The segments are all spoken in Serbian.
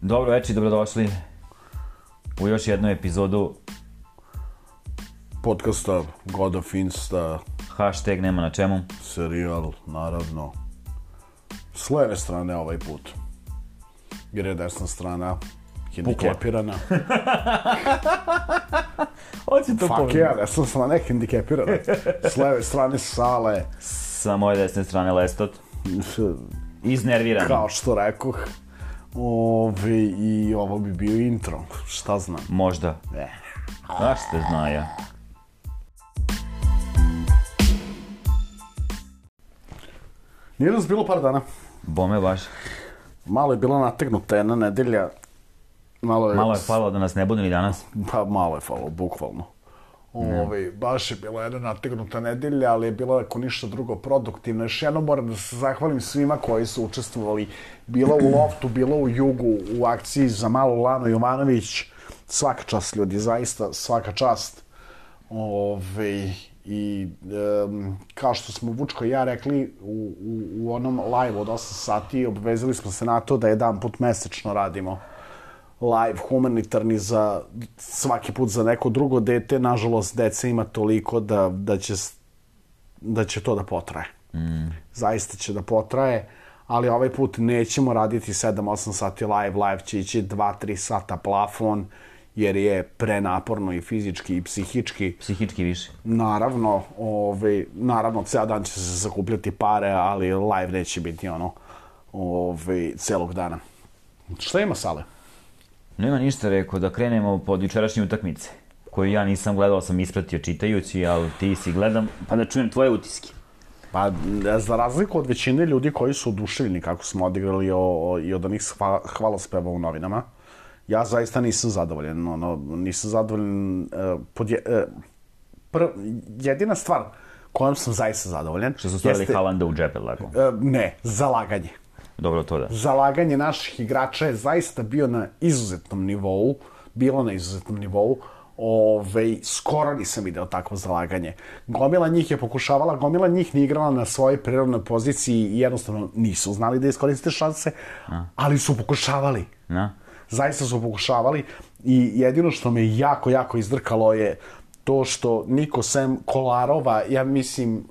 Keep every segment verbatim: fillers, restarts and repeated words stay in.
Dobro večer, dobrodošli u još jednu epizodu podcasta God of Insta. Hashtag nema na čemu. Serijal, naravno. S leve strane ovaj put, jer je desna strana hendikepirana. Hoće to Fuck ja, desna strana je hendikepirana. S leve strane Sale. Sa moje desne strane Lestot. Iznerviran. Kao što rekoh. Ove, I ovo bi bio intro, šta znam. Možda. Eh. Znaš te zna ja. Nije nas bilo par dana. Bome baš. Malo je bila nategnuta jedna nedelja. Malo je, Malo je falilo da nas ne bude ni danas. Pa malo je falilo, bukvalno. Ove, baš je bila jedna nategnuta nedelja, ali je bila ako ništa drugo produktivna. Još jednom moram da se zahvalim svima koji su učestvovali. Bilo u Loftu, bilo u Jugu, u akciji za malu Lanu Jovanović. Svaka čast ljudi, zaista svaka čast. Ove, I um, kao što smo Vučko i ja rekli u, u, u onom live od osam sati, obvezali smo se na to da jedan put mesečno radimo live humanitarni za svaki put za neko drugo dete. Nažalost, deca ima toliko da, da, će, da će to da potraje. Mm. Zaista će da potraje, ali ovaj put nećemo raditi sedam osam sati live. Live će ići dva tri sata plafon, jer je prenaporno i fizički i psihički. Psihički više. Naravno, ovaj, naravno, ceo dan će se zakupljati pare, ali live neće biti ono ovaj, celog dana. Šta ima, Sale? Nema ništa, rekao da krenemo pod jučerašnje utakmice, koju ja nisam gledao, sam ispratio čitajući, ali ti si gledam, pa da čujem tvoje utiske. Pa, za razliku od većine ljudi koji su oduševljeni kako smo odigrali o, o, i od onih hva, hvalospeva u novinama, ja zaista nisam zadovoljen. Ono, nisam zadovoljen... Uh, pod je, uh, pr, jedina stvar kojom sam zaista zadovoljen... Što su stavili jeste, Haalanda u džepe, lako? Uh, ne, zalaganje. Dobro, to da. Zalaganje naših igrača je zaista bio na izuzetnom nivou. Bilo na izuzetnom nivou. Ove, skoro nisam video takvo zalaganje. Gomila njih je pokušavala, gomila njih nije igrala na svojoj prirodnoj poziciji i jednostavno nisu znali da iskoriste šanse, A. ali su pokušavali. Na. Zaista su pokušavali i jedino što me jako, jako izdrkalo je to što niko sem Kolarova, ja mislim,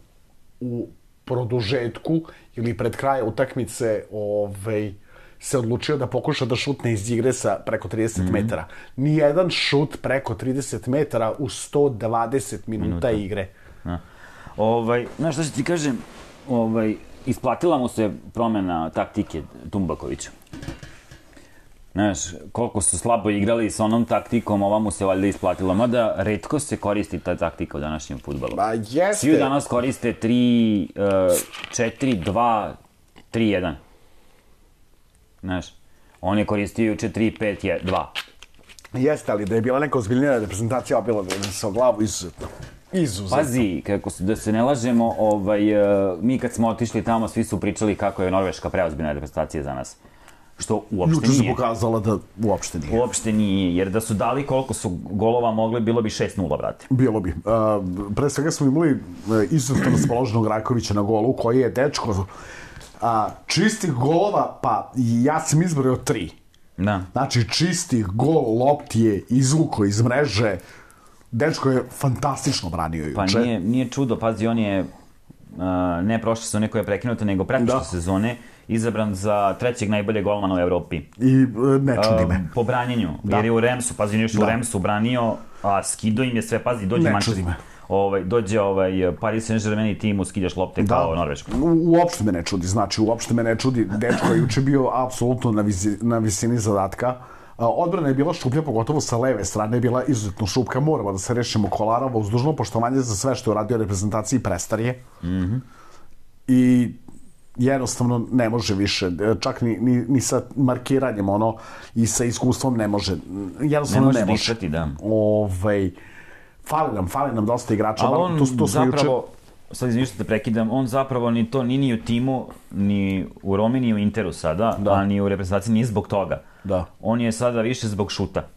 u produžetku ili pred kraja utakmice ovaj, se odlučio da pokuša da šutne iz igre sa preko trideset mm-hmm. metara. Nijedan šut preko trideset metara u sto dvadeset minuta, minuta. igre. Na. Ovaj, znaš šta ću ti kažem, ovaj, isplatila mu se promjena taktike Tumbakovića. Znaš, koliko su slabo igrali s onom taktikom, ova mu se valjda isplatila. Mada, retko se koristi ta taktika u današnjem fudbalu. Ba, jeste. Svi danas koriste tri, četiri, dva, tri, jedan. Znaš, on je koristio juče tri, pet, dva. Jeste, ali da je bila neka ozbiljnija reprezentacija, bila da je sa glavu izuzetno. Izuzetno. Pazi, kako se, da se ne lažemo, ovaj, mi kad smo otišli tamo, svi su pričali kako je Norveška preozbiljna reprezentacija za nas. Što uopšte Juče nije. Juče se pokazala da uopšte nije. Uopšte nije, jer da su dali koliko su golova mogli, bilo bi šest nula, brate. Bilo bi. Uh, pre svega smo imali uh, izuzetno raspoloženog Rakovića na golu, koji je dečko uh, čistih golova, pa ja sam izbrojao tri. Da. Znači, čistih gol, lopti je izvuko iz mreže. Dečko je fantastično branio juče. Pa nije, nije čudo, pazi, on je uh, ne prošle sezone koja je prekinuta, nego pretprošle sezone izabran za trećeg najboljeg golmana u Evropi. I ne čudi me. Uh, po branjenju, da. Jer je u Remsu, pazi, još u Remsu branio, a skido im je sve, pazi, dođe Manchester. Ovaj, dođe ovaj, Paris Saint-Germain i ti mu skidaš lopte da. Kao Norvešku. U, uopšte me ne čudi, znači uopšte me ne čudi. Dečko je juče bio apsolutno na, vizi, na visini zadatka. Odbrana je bila šuplja, pogotovo sa leve strane je bila izuzetno šupka. Moramo da se rešimo Kolarova uz dužno poštovanje za sve što je uradio reprezentaciji prestarije. Mm-hmm. I jednostavno ne može više, čak ni, ni, ni sa markiranjem ono i sa iskustvom ne može. Jednostavno ne može. Ne može. Dišati, da. Ovaj, fali nam, fali nam dosta igrača. Ali on to, to zapravo, juče... sad izvinite te prekidam, on zapravo ni to, ni ni u timu, ni u Romi, ni u Interu sada, da. A ni u reprezentaciji nije zbog toga. Da. On je sada više zbog šuta.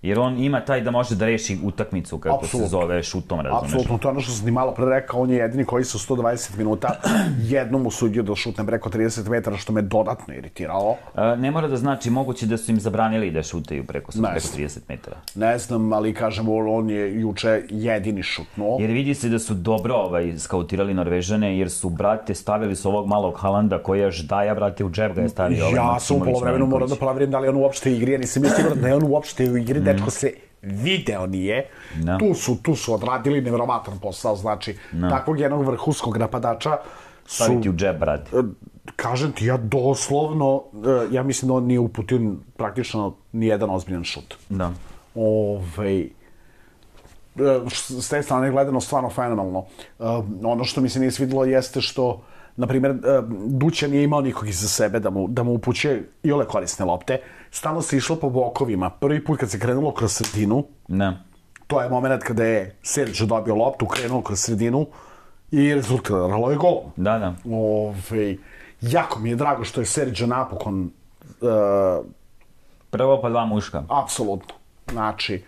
Jer on ima taj da može da reši utakmicu, kako se zove, šutom, razumeš? Apsolutno, to je ono što sam ti malo pre rekao, on je jedini koji se u sto dvadeset minuta jednom usudio da šutne preko trideset metara, što me dodatno iritiralo. Ne mora da znači, moguće da su im zabranili da šutaju preko trideset metara. Ne znam, ali kažem, on je juče jedini šutnuo. Jer vidi se da su dobro skautirali Norvežane, jer su, brate, stavili s ovog malog Halanda koji je ždaja, brate, u džep ga je stavio. Ja sam u polovremenu morao da proverim da li on uopšte igri, ja nisam mislio da je on uopšte u igri, dečko se video nije. Tu su, tu su odradili nevjerovatan posao, znači, takvog jednog vrhunskog napadača su... Staviti u džep, brate. Kažem ti, ja doslovno, ja mislim da on nije uputio praktično nijedan ozbiljan šut. Da. Ovej... S te strane gledano stvarno fenomenalno. Ono što mi se nije svidilo jeste što, na primjer, Duća nije imao nikog iza sebe da mu, da mu upućuje i ole korisne lopte. Stalno se išlo po bokovima. Prvi put kad se krenulo kroz sredinu, ne. To je moment kada je Serđo dobio loptu, krenuo kroz sredinu i rezultiralo je golom. Da, da. Ove, jako mi je drago što je Serđo napokon... Uh, Prvo pa dva muška. Apsolutno. Znači,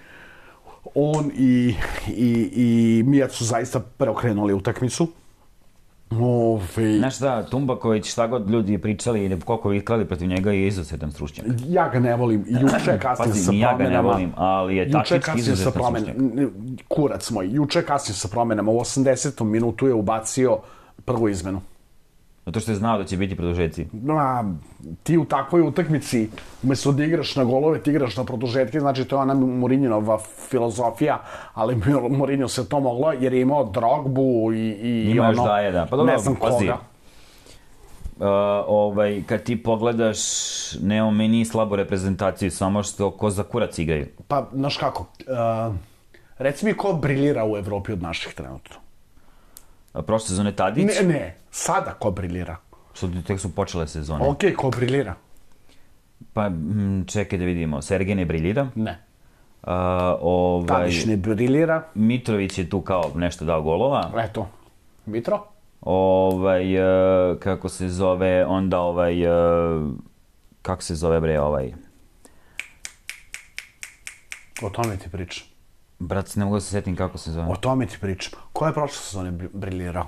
on i, i, i Mijat su zaista preokrenuli utakmicu. Ove... Znaš da, Tumbaković, šta god ljudi pričali i koliko viklali protiv njega je izuzetan stručnjak. Ja ga ne volim. Juče kasnije sa promenama... ja ga ne volim, ali je taktički izuzetan stručnjak. Kurac moj, juče kasnije sa promenama, u osamdesetom minutu je ubacio prvu izmenu. Zato što je znao da će biti produžetci. Ma, ti u takvoj utakmici, umjesto da igraš na golove, ti igraš na produžetke, znači to je ona Mourinhova filozofija, ali Mourinho se to moglo jer je imao Drogbu i, i ima ono, daje, da. Pa dobro, ne znam koga. Uh, ovaj, kad ti pogledaš, nemo meni slabu reprezentaciju, samo što ko za kurac igraju. Pa, znaš kako, uh, reci mi ko briljira u Evropi od naših trenutno? Prošle sezone Tadić? Ne, ne, sada ko briljira. Što tek su počele sezone. Okej, ko briljira? Pa, čekaj da vidimo. Sergej ne briljira? Ne. Uh, ovaj, Tadić ne briljira? Mitrović je tu kao nešto dao golova. Eto, Mitro? Ovaj, uh, kako se zove, onda ovaj, uh, kako se zove bre ovaj? O tome ti pričam. Brat, ne mogu da se setim kako se zove. O tome ti pričam. Ko je prošle sezone briljirao?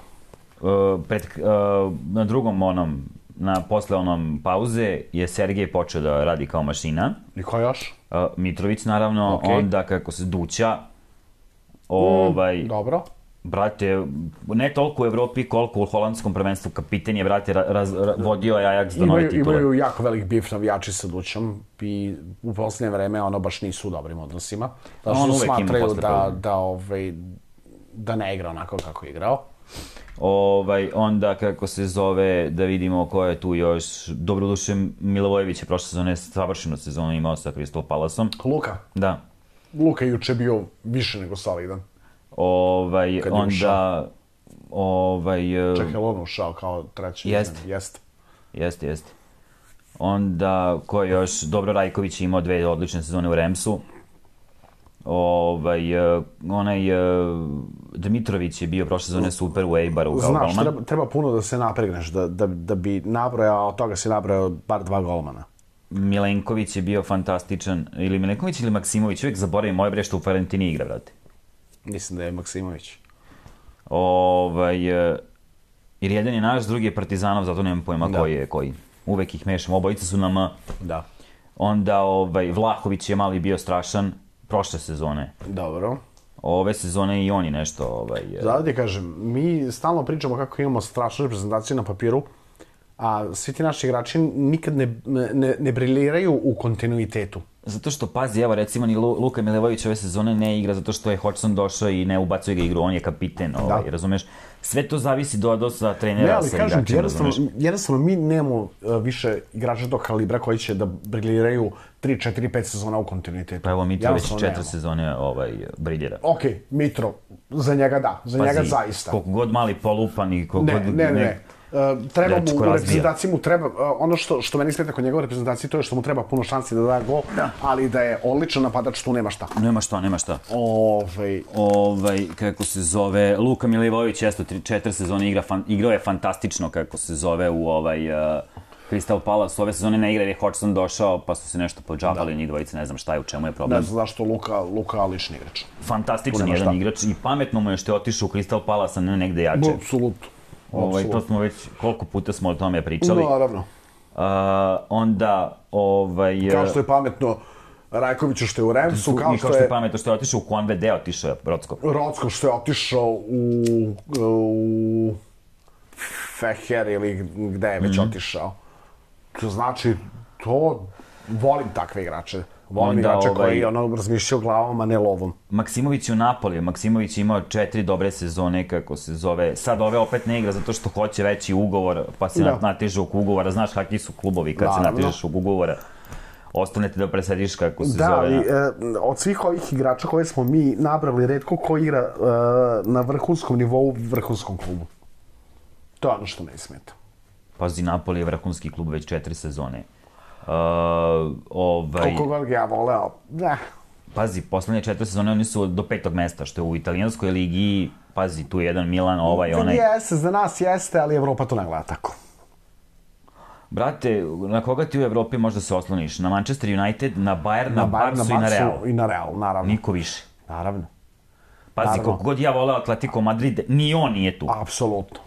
Uh, pred, uh, na drugom onom, na posle onom pauze je Sergej počeo da radi kao mašina. I ko još? Uh, Mitrović naravno, okay. Onda kako se Duća. Ovaj, mm, dobro. Brate, ne toliko u Evropi koliko u holandskom prvenstvu, kapiten je, brate, raz, ra, vodio je Ajax do nove titule. Imaju jako velik bif navijači sa Dućom i u posljednje vreme ono baš nisu u dobrim odnosima. Da što smatraju da, da, ovaj, da ne igra onako kako je igrao. Ovaj, onda kako se zove, da vidimo ko je tu još, dobroduše Milivojević je prošle sezone savršenu sezonu imao sa Crystal Palaceom. Luka? Da. Luka juče bio više nego solidan. Ovaj, onda... Ovaj... Čekaj, on ušao kao treći. Jest. Jest. Jest, jest. Onda, ko je još, Dobro Rajković je imao dve odlične sezone u Remsu. Ovaj, onaj, Dmitrović je bio prošle sezone super u Eibaru kao golman. Znaš, treba, treba puno da se napregneš, da, da, da bi nabrojao, od toga si nabrojao bar dva golmana. Milenković je bio fantastičan, ili Milenković ili Maksimović, uvijek zaboravim moje bre što u Fiorentina igra, brate. Mislim da je Maksimović. Ovaj, jer jedan je naš, drugi je Partizanov, zato nemam pojma da. Koji je koji. Uvek ih mešam, obojice su nam... Da. Onda ovaj, Vlahović je mali bio strašan prošle sezone. Dobro. Ove sezone i oni nešto... Ovaj, Zato ti kažem, mi stalno pričamo kako imamo strašnu reprezentaciju na papiru, a svi ti naši igrači nikad ne, ne, ne briljiraju u kontinuitetu. Zato što, pazi, evo recimo ni Luka Milivojević ove sezone ne igra zato što je Hodgson došao i ne ubacuje ga igru, on je kapiten, ovaj, razumeš? Sve to zavisi do odnosa trenera ne, ali sa kažem, igračima, jednostavno, jednostavno mi nemamo uh, više igrača tog kalibra koji će da briljiraju tri, četiri, pet sezona u kontinuitetu. Pa evo Mitrović četiri sezone ovaj, briljira. Ok, Mitro, za njega da, za pazi, njega zaista. Koliko god mali polupan i koliko ne, god... Ne, ne, ne. Uh, treba mu u reprezentaciji mu treba, uh, ono što, što meni smeta kod njegove reprezentacije, to je što mu treba puno šansi da da gol, da. Ali da je odličan napadač, tu nema šta. Nema šta, nema šta. Ovaj, ovaj kako se zove, Luka Milivojević, jesto, četiri sezone igra, fan, igrao je fantastično, kako se zove, u ovaj... Uh, Crystal Palace ove sezone ne igra jer je Hodgson došao, pa su se nešto podžabali, njih dvojice, ne znam šta je, u čemu je problem. Ne znam zašto Luka, Luka alični igrač. Fantastičan jedan igrač i pametno mu je što je otišao u Crystal Palace, a ne negde jače. Apsolutno. Ovaj, to smo već, koliko puta smo o tome pričali. Naravno. Uh, onda, ovaj... Kao što je pametno Rajkoviću što je u Remsu, kao što je... što je pametno što je otišao u Konvede, otišao je Rocko. Rocko što je otišao u... u... Feher ili gde je već mm-hmm. otišao. To znači, to... Volim takve igrače. Volim onda, igrače ovaj... koji ono razmišljaju glavom, a ne lovom. Maksimović u Napoli. Maksimović imao četiri dobre sezone, kako se zove. Sad ove opet ne igra zato što hoće veći ugovor, pa se da. nateže oko ugovora. Znaš kakvi su klubovi kad Naravno. se natežeš oko ugovora. Ostanete da presediš kako se da, zove. Da, ali e, od svih ovih igrača koje smo mi nabrali, retko ko igra e, na vrhunskom nivou u vrhunskom klubu. To je ono što me smeta. Pazi, Napoli je vrhunski klub već četiri sezone. Uh, ovaj... Koliko god ga ja voleo, ne. Pazi, poslednje četiri sezone oni su do petog mesta, što je u italijanskoj ligi, pazi, tu je jedan Milan, ovaj, onaj... Jeste, za nas jeste, ali Evropa to ne gleda tako. Brate, na koga ti u Evropi možda se osloniš? Na Manchester United, na Bayern, na, na Barsu na i na Real. I na Real, naravno. Niko više. Naravno. Pazi, naravno. Koliko god ja voleo Atletico Madrid, ni on nije tu. Apsolutno.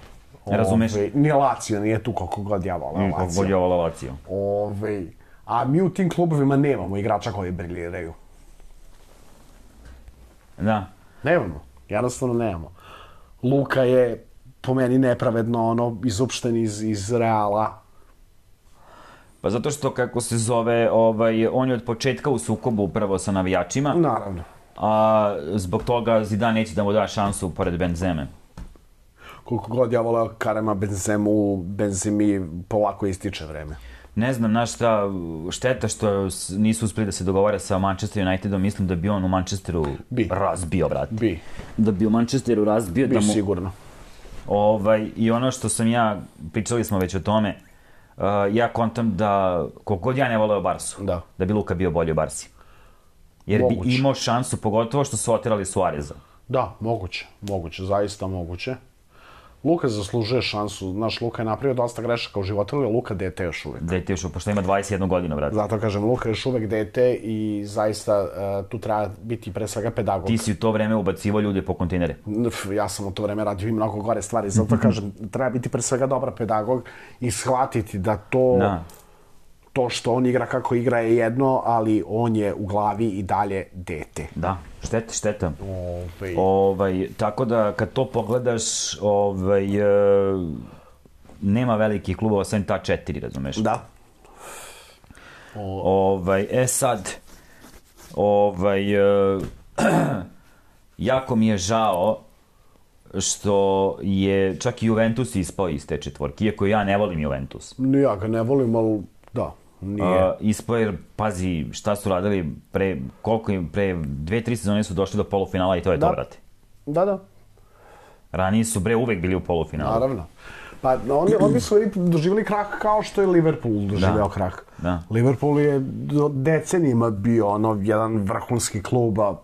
Ne razumeš? Ove, ni Lazio nije tu koliko god ja voleo Lazio. Koliko god ja voleo Lazio. Ove, a mi u tim klubovima nemamo igrača koji briljiraju. Da. Nemamo. Jednostavno nemamo. Luka je po meni nepravedno ono, izopšten iz, iz Reala. Pa zato što, kako se zove, ovaj, on je od početka u sukobu upravo sa navijačima. Naravno. A zbog toga Zidane neće da mu da šansu pored Benzeme. Koliko god ja voleo Karema Benzemu, Benzemi polako ističe vreme. Ne znam, znaš šta, šteta što nisu uspeli da se dogovore sa Manchester Unitedom, mislim da bi on u Manchesteru bi. razbio, brate. Bi. Da bi u Manchesteru razbio. Bi da mu... sigurno. Ovaj, i ono što sam ja, pričali smo već o tome, uh, ja kontam da, koliko god ja ne voleo Barsu, da, da bi Luka bio bolji u Barsi. Jer moguće. Bi imao šansu, pogotovo što su otirali Suareza. Da, moguće, moguće, zaista moguće. Luka zaslužuje šansu, znaš, Luka je napravio dosta grešaka u životu, ali Luka dete još uvek. Dete još uvek, pošto ima dvadeset jedna godina, brate. Zato kažem, Luka je još uvek dete i zaista uh, tu treba biti pre svega pedagog. Ti si u to vreme ubacivao ljude po kontejnere. Ja sam u to vreme radio i mnogo gore stvari, zato kažem, treba biti pre svega dobar pedagog i shvatiti da to... Da. To što on igra kako igra je jedno, ali on je u glavi i dalje dete. Da, šteta, šteta. Ovaj. Ovaj, tako da, kad to pogledaš, ovaj, e, nema velikih klubova, sem ta četiri, razumeš? Da. O... Ovaj, e sad, ovaj, e, jako mi je žao što je čak i Juventus ispao iz te četvorke, iako ja ne volim Juventus. Ja ga ne volim, ali da. Uh, ispao jer, pazi, šta su radili pre, koliko im, pre dve, tri sezone su došli do polufinala i to je da. to, brate. Da, da. Ranije su, bre, uvek bili u polufinalu. Naravno. Pa oni, oni su doživjeli krah kao što je Liverpool doživeo da. krah. Da. Liverpool je decenijima bio ono, jedan vrhunski klub, a u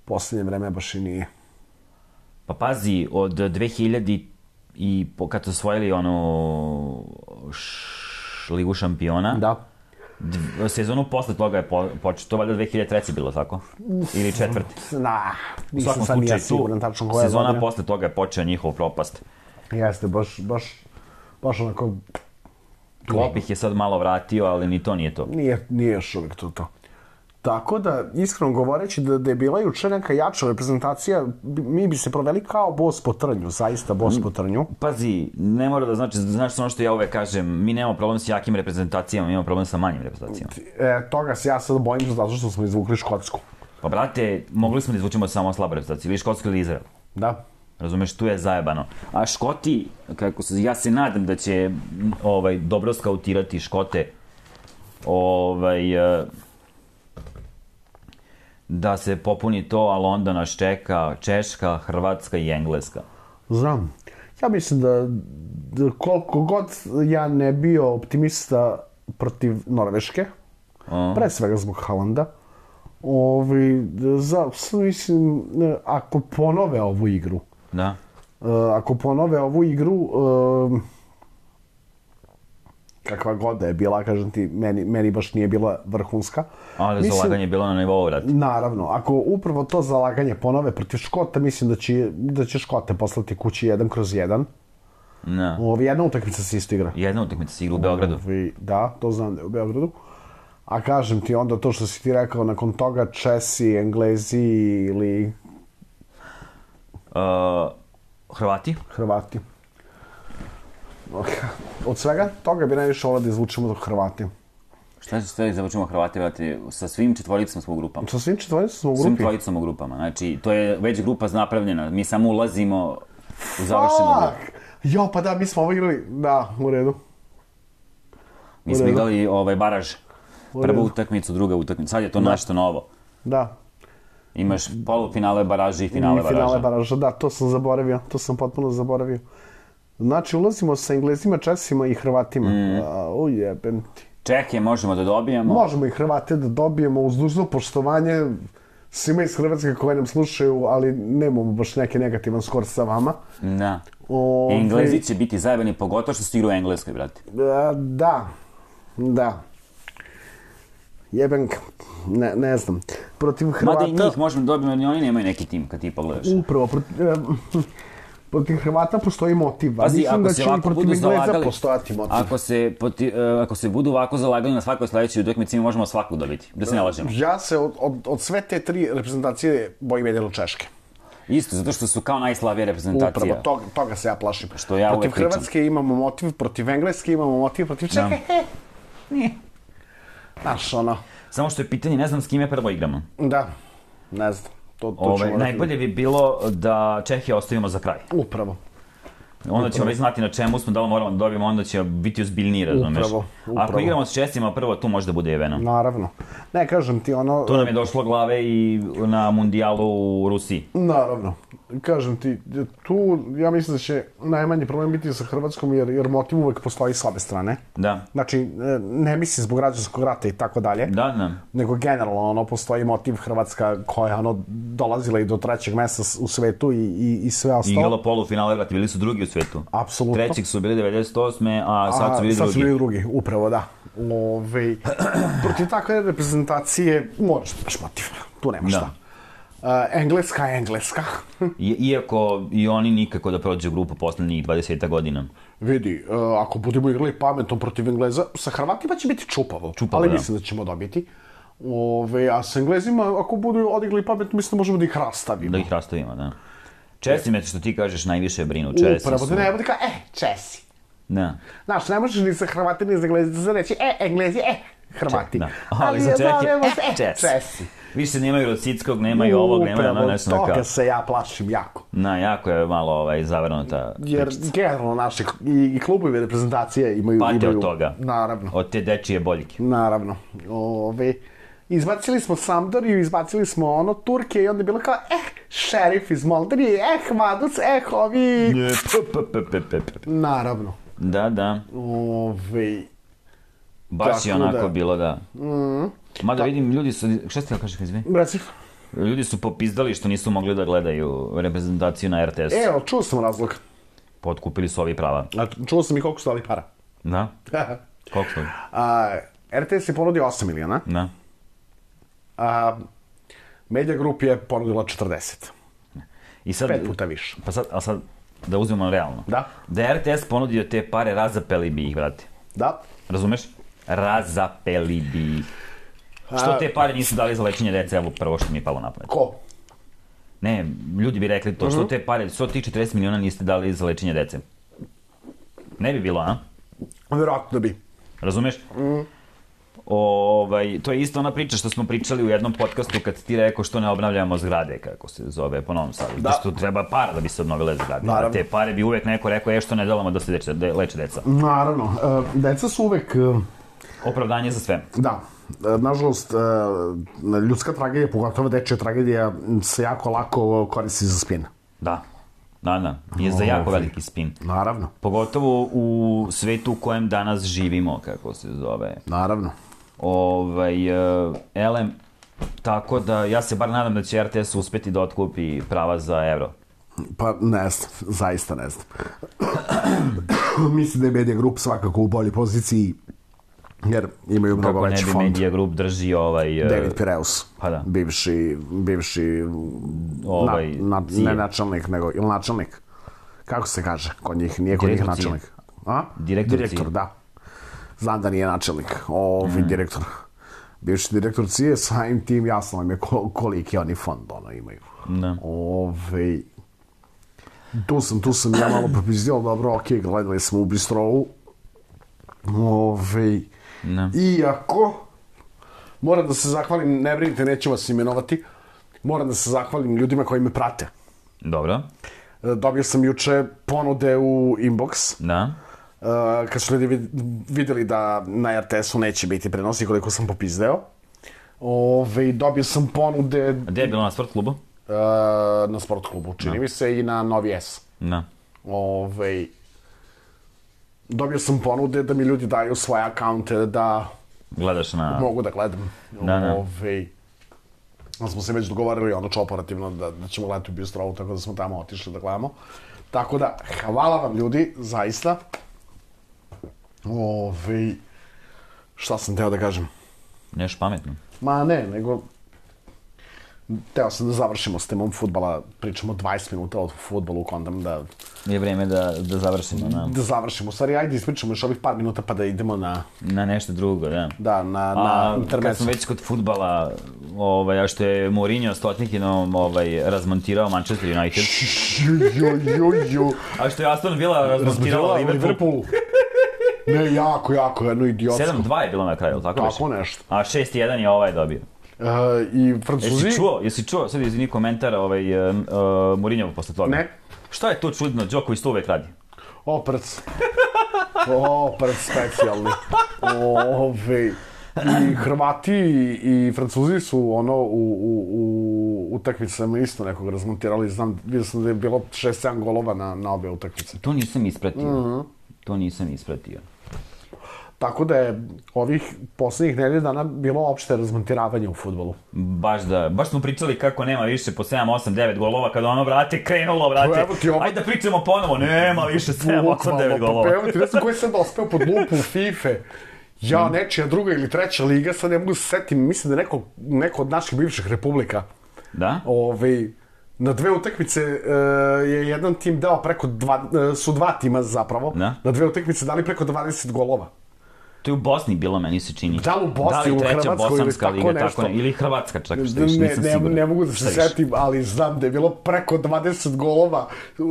poslednje vreme baš i nije. Pa pazi, od dve hiljade i kad su osvojili ono... Š... Ligu šampiona. Da. Dv, sezonu posle toga je po, počeo, to valjda dve hiljade treće bilo, tako? Ili četvrti? Na, nisam sam ja siguran tačno koja je sezona godina. Posle toga je počeo njihov propast. Jeste, baš, baš, baš onako... Klopp ih je sad malo vratio, ali ni to nije to. Nije, nije još uvijek to to. Tako da, iskreno govoreći, da, da je bila juče neka jača reprezentacija, mi bi se proveli kao bos po trnju, zaista bos po trnju. Pazi, ne mora da znači, znaš ono što ja uvek kažem, mi nemamo problem s jakim reprezentacijama, mi imamo problem sa manjim reprezentacijama. E, toga se ja sad bojim zato što smo izvukli Škotsku. Pa brate, mogli smo da izvučemo samo slabu reprezentaciju, ili Škotsku ili Izrael. Da. Razumeš, tu je zajebano. A Škoti, kako se, ja se nadam da će ovaj, dobro skautirati Škote, ovaj... da se popuni to, ali onda nas čeka Češka, Hrvatska i Engleska. Znam. Ja mislim da, da koliko god ja ne bio optimista protiv Norveške, uh. pre svega zbog Haalanda, ovi, za, mislim, ako ponove ovu igru, da. Uh, ako ponove ovu igru, uh, kakva god da je bila, kažem ti, meni, meni baš nije bila vrhunska. Ali mislim, zalaganje je bilo na nivou, vrati. Naravno, ako upravo to zalaganje ponove protiv Škota, mislim da će, da će Škote poslati kući jedan kroz jedan. Ne. Ovi, jedna utakmica se isto igra. Jedna utakmica se igra u Beogradu. Ovi, da, to znam da je u Beogradu. A kažem ti onda to što si ti rekao, nakon toga Česi, Englezi ili... Uh, Hrvati? Hrvati. Od svega toga bi najviše volao da izvučemo do Hrvati. Šta će sve izvučemo Hrvati, vrati? Sa svim četvoricama smo u grupama. Sa svim četvoricama smo u grupi? Svim četvoricama u grupama. Znači, to je već grupa napravljena. Mi samo ulazimo u završenu grupu. Jo, pa da, mi smo ovo igrali, da, u redu. Mi smo igrali ovaj, baraž. Prvu utakmicu, druga utakmica. Sad je to nešto novo. Da. Imaš polufinale baraže i finale baraža. Finale baraža, da, to sam zaboravio. To sam potpuno zaboravio. Znači, ulazimo sa Englezima, Česima i Hrvatima. Mm. Ujebem ti. Čehije možemo da dobijemo. Možemo i Hrvate da dobijemo uz dužno poštovanje svima iz Hrvatske koji nam slušaju, ali nemamo baš neki negativan skor sa vama. Da. O, Englezi će biti zajebani, pogotovo što se igra u Engleskoj, brate. Da, da. Jebenka, ne, ne znam. Protiv Hrvata... Mada i njih možemo da dobijemo, jer oni nemaju neki tim, kad ti pogledaš. Upravo, protiv, protiv Hrvata postoji motiv. Pazi, mislim ako da se će ovako protiv budu Engleza zalagali, postojati motiv. Ako se, poti, uh, ako se budu ovako zalagali na svakoj sledećoj utakmici, mi možemo svakog dobiti, da se ne lažemo. Ja se od, od, od sve te tri reprezentacije bojim jedino Češke. Isto, zato što su kao najslavije reprezentacija. Upravo, toga, toga se ja plašim. Što ja protiv uvek pričam. Hrvatske imamo motiv, protiv Engleske imamo motiv, protiv Čehe. No. Znaš, ono... Samo što je pitanje, ne znam s kime prvo igramo. Da, ne znam. To, to Ove, najbolje bi bilo da Čehije ostavimo za kraj. Upravo. Onda ćemo već znati na čemu smo, da li moramo da dobijemo, onda će biti ozbiljniji, razumeš? Upravo, upravo. Ako igramo s Česima prvo, tu može da bude jeveno. Naravno. Ne, kažem ti ono... To nam je došlo glave i na mundijalu u Rusiji. Naravno. Kažem ti, tu ja mislim da će najmanji problem biti sa Hrvatskom, jer, jer motiv uvek postoji slabe strane. Da. Znači, ne mislim zbog građanskog rata i tako dalje. Da, da. Nego generalno, ono, postoji motiv Hrvatska koja, ono, dolazila i do trećeg mesta u svetu i, i, i sve ostalo. Igrala polufinale, vrati, bili su drugi u svetu. Apsolutno. Trećeg su bili devedeset osme, a sad su bili a, sad drugi. Sad su bili drugi, upravo, da. Ove, protiv takve reprezentacije moraš da imaš motiv. Tu nema šta. Uh, engleska je engleska. I, iako i oni nikako da prođe grupu poslednjih dvadeset godina. Vidi, uh, ako budemo igrali pametno protiv Engleza, sa Hrvatima će biti čupavo. Čupavo, ali da. Mislim da ćemo dobiti. Ove, a sa Englezima, ako budu odigli pametno, mislim da možemo da ih rastavimo. Da ih rastavimo, da. Česi me, što ti kažeš, najviše brinu. Česi Upravo, su... da ne bude kao, e, Česi. Da. Znaš, ne možeš ni sa Hrvati, ni za Englezi da reći, e, Englezi, e, Hrvati. Da. Ali za Čehije, e, Česi. Česi. Više nemaju Rosickog, nemaju ovog, nemaju ono nešto Upravo, kao... toga se ja plašim jako. Na, jako je malo ovaj, zavrnuta Jer pričica. generalno naše i, i klubovi reprezentacije imaju... Pate imaju, od toga. Naravno. Od te dečije boljke. Naravno. Ove, izbacili smo Sampdoriju, izbacili smo ono Turke i onda je bilo kao, eh, šerif iz Moldavije, eh, Maduc, eh, ovi... Naravno. Da, da. Ove... Baš je onako da. Bilo, da. Mm. Mada vidim, ljudi su... Šta ste da kažeš, izvi? Reci. Ljudi su popizdali što nisu mogli da gledaju reprezentaciju na er te es. Evo, čuo sam razlog. Potkupili su ovi prava. A čuo sam i koliko su dali para. Da? Koliko su? A, er te es je ponudio osam miliona. Da. A Media Group je ponudila četrdeset. I sad, Pet puta više. Pa sad, ali sad, da uzmemo realno. Da. Da je er te es ponudio te pare, razapeli bi ih, brate. Da. Razumeš? Razapeli bi ih. Što te pare nisu dali za lečenje dece, evo prvo što mi je palo na pamet. Ko? Ne, ljudi bi rekli to, što te pare, što tih četrdeset miliona niste dali za lečenje dece. Ne bi bilo, a? Vjerojatno bi. Razumeš? Mm. Ovaj, to je isto ona priča što smo pričali u jednom podcastu kad ti rekao što ne obnavljamo zgrade, kako se zove po Novom Sadu. Da. Što treba para da bi se obnovile zgrade. Naravno. A te pare bi uvek neko rekao, je što ne delamo da se leče, da leče deca. Naravno. Uh, deca su uvek... Uh... Opravdanje za sve. Da. Nažalost, ljudska tragedija, pogotovo dečja tragedija, se jako lako koristi za spin. Da. Da, da. Je za jako veliki spin. Naravno. Pogotovo u svetu u kojem danas živimo, kako se zove. Naravno. Ovaj, uh, elem, tako da ja se bar nadam da će er te es uspeti da otkupi prava za evro. Pa ne znam, zaista ne znam. Mislim da je Media Group svakako u boljoj poziciji Jer imaju mnogo veći fond. Kako ne bi Media Group drži ovaj... Uh, David Pireus, pa da. bivši, bivši ovaj, na, na, ne načelnik, nego, ili načelnik, kako se kaže kod njih, nije kod njih načelnik. A? Direktor, direktor da. Znam da nije načelnik, ovi mm. direktor. Bivši direktor C I E, samim tim jasno im je koliki oni fond ono imaju. Da. Ove, tu sam, tu sam ja malo propizdio, dobro, ok, gledali smo u Bistrovu. Ove, da. Iako, moram da se zahvalim, ne brinite, neću vas imenovati, moram da se zahvalim ljudima koji me prate. Dobro. Dobio sam juče ponude u inbox. Da. Uh, kad su ljudi vidjeli da na R T S-u neće biti prenosi koliko sam popizdeo. Ove, dobio sam ponude... A gdje je bilo na sport klubu? Uh, na sport klubu, čini no. mi se, i na Novi S. Da. Ove, dobio sam ponude da mi ljudi daju svoje akaunte da... Gledaš na... Mogu da gledam. Da, da. Ove, da smo se već dogovorili ono operativno da, da ćemo gledati u Bistrovu, tako da smo tamo otišli da gledamo. Tako da, hvala vam ljudi, zaista. Ove, šta sam teo da kažem? Nešto pametno. Ma ne, nego... Teo sam da završimo s temom fudbala, pričamo dvadeset minuta o fudbalu, kondam da... Je vreme da, da završimo, na... Da završimo, stvari, ajde ispričamo još ovih par minuta pa da idemo na... Na nešto drugo, da. Da, na, na intermecu. Kad smo već kod fudbala, ovaj, a što je Mourinho s Tottenhamom ovaj, razmontirao Manchester United. Jo, jo, jo. A što je Aston Villa razmontirao Liverpool. Ne, jako, jako, jedno idiotsko. sedam dva je bilo na kraju, tako već? Tako nešto. A šest jedan je ovaj dobio. Uh, I Francuzi... Jesi čuo, jesi čuo, sad izvini komentar ovaj, uh, uh, Mourinhov posle toga? Ne. Šta je to čudno, Đoković to uvek radi? Oprec. Oprec specijalni. Ove... I Hrvati i Francuzi su ono u, u, u utakmicama isto nekog razmontirali. Znam, vidio sam da je bilo šest sedam golova na, na obe utakmice. To nisam ispratio. Mm-hmm. To nisam ispratio. Tako da je ovih poslednjih nedelja dana bilo opšte razmontiravanje u fudbalu. Baš da, baš smo pričali kako nema više po sedam, osam, devet golova, kada ono, vrate, krenulo, vrate. Ovo... Ajde da pričamo ponovo, nema više sedam, osam, devet golova. Evo ti, ne znam koji sam dospeo pod lupu u FIFA. Ja, nečija druga ili treća liga, sad ne mogu se setim, mislim da neko, neko od naših bivših republika. Da? Ove, na dve utakmice uh, je jedan tim dao preko dva, uh, su dva tima zapravo, da? Na dve utakmice dali preko dvadeset golova. To je u Bosni bilo, meni se čini. Da li u Bosni, u Hrvatskoj ili tako liga, nešto. Tako, ili Hrvatska čak, što ne, nisam ne, siguran. Ne mogu da se setim, ali znam da je bilo preko dvadeset golova,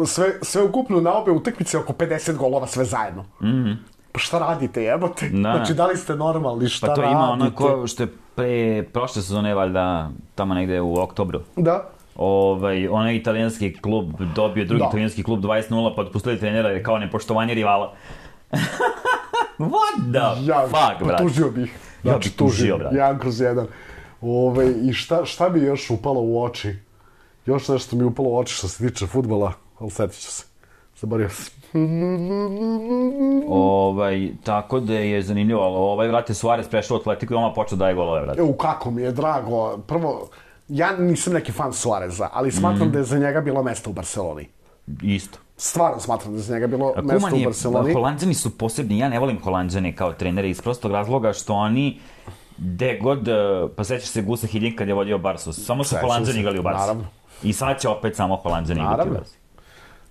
sve, sve ukupno na obe utakmice oko pedeset golova sve zajedno. Mhm. Pa šta radite, jebote? Da. Znači, da li ste normalni, šta radite? Pa to ima onako što je pre prošle sezone, valjda, tamo negde u oktobru. Da. Ovaj, onaj italijanski klub dobio drugi da. Italijanski klub dvadeset nula, pa otpustili trenera je kao nepoštovanje rivala. What the ja, fuck, brate? Tužio bih. Znači, ja bih tužio, brate. Jedan kroz jedan. Ove, I šta, šta mi je još upalo u oči? Još nešto mi je upalo u oči što se tiče fudbala, ali setit ću se. Zaborio se. Ovaj, tako da je zanimljivo, ali ovaj, vrate, Suarez prešao u Atletiku i oma počeo daje golove, vrate. Evo, kako mi je drago. Prvo, ja nisam neki fan Suareza, ali smatram mm. da je za njega bilo mesta u Barceloni. Isto. Stvarno smatram da je za njega bilo A mesta u Barceloni. Holanđani su posebni, ja ne volim Holanđane kao trenere iz prostog razloga što oni gde god, pa sećaš se Gusa Hiddink kad je vodio Barsu, samo su Holanđani igrali u Barsu. Naravno. I sad će opet samo Holanđani igrati u Barsu.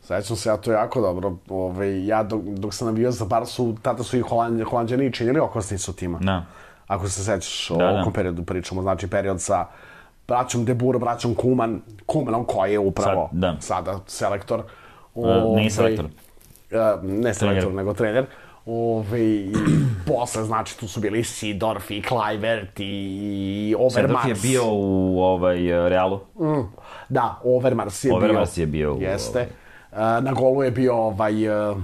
Sećam se, ja to jako dobro. Ove, ja dok, dok sam navio za Barsu, tada su i Holand, Holandjani činili okosnicu tima. Da. Ako se sećaš, da, o ovom da. periodu pričamo, znači period sa braćom De Boer, braćom Koeman, Koemanom koji je upravo Sad, da. sada selektor. Ove, uh, nije selektor. Uh, ne selektor, trener. Nego trener. Ove, i posle, znači, tu su bili Seedorf i Kluivert i Overmars. Seedorf je bio u ovaj, Realu. Mm, da, Overmars je Overmars bio. Overmars je bio u... Jeste. Uh, na golu je bio ovaj... Uh,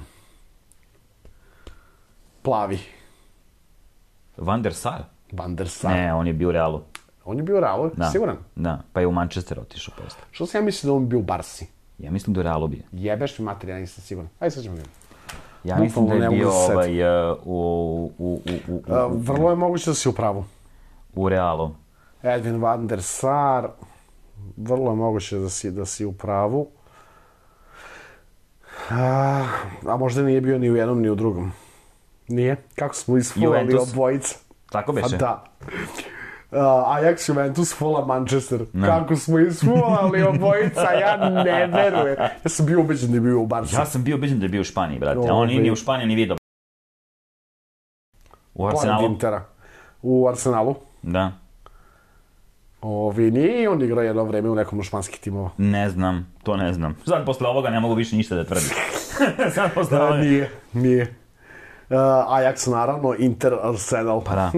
plavi. Van der Sar? Van der Sar. Ne, on je bio u Realu. On je bio u Realu, da. Siguran? Da, pa je u Manchester otišao posle. Što sam ja mislim da on bio u Barsi? Ja mislim da je u Realu bio. Jebeš mi mater, ja nisam siguran. Ajde, sad ćemo vidjeti. Ja mislim da je bio ovaj, uh, u, u, u, u, u... Uh, vrlo je moguće da si u pravu. U Realu. Edwin van der Sar. Vrlo je moguće da si, da si u pravu. A, a možda nije bio ni u jednom ni u drugom. Nije. Kako smo isfulali obojica. Tako beše? Pa da. Uh, Ajax, Juventus, Fulham, Manchester. Ne. Kako smo isfulali obojica, ja ne verujem. Ja sam bio ubeđen da je bio u Barci. Ja sam bio ubeđen da je bio u Španiji, brate. A on nije ni u Španiji ni vidio. U Arsenalu? Intera. U Arsenalu? Da. Ovi, nije on igrao jedno vreme u nekom od španskih timova? Ne znam, to ne znam. Sad posle ovoga ne mogu više ništa da tvrdim. Sad posle da, ovoga... Nije, nije. Uh, Ajax naravno, Inter, Arsenal. Pa da.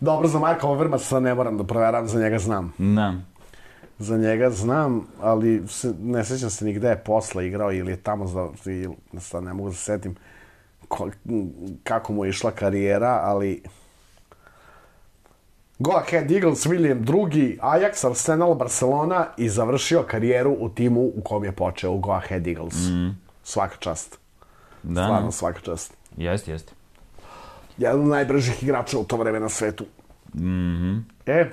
Dobro, za Marka Overmasa ne moram da provjeram, za njega znam. Da. Za njega znam, ali se, ne sjećam se ni gde je posle igrao ili je tamo, za, ili, sad ne mogu da se setim ko, kako mu je išla karijera, ali... Go Ahead Eagles, William drugi, Ajax, Arsenal, Barcelona i završio karijeru u timu u kom je počeo, u Go Ahead Eagles. Mm. Svaka čast. Da. Stvarno, svaka čast. Jest, jest. Jedan od najbržih igrača u to vreme na svetu. Mhm. E?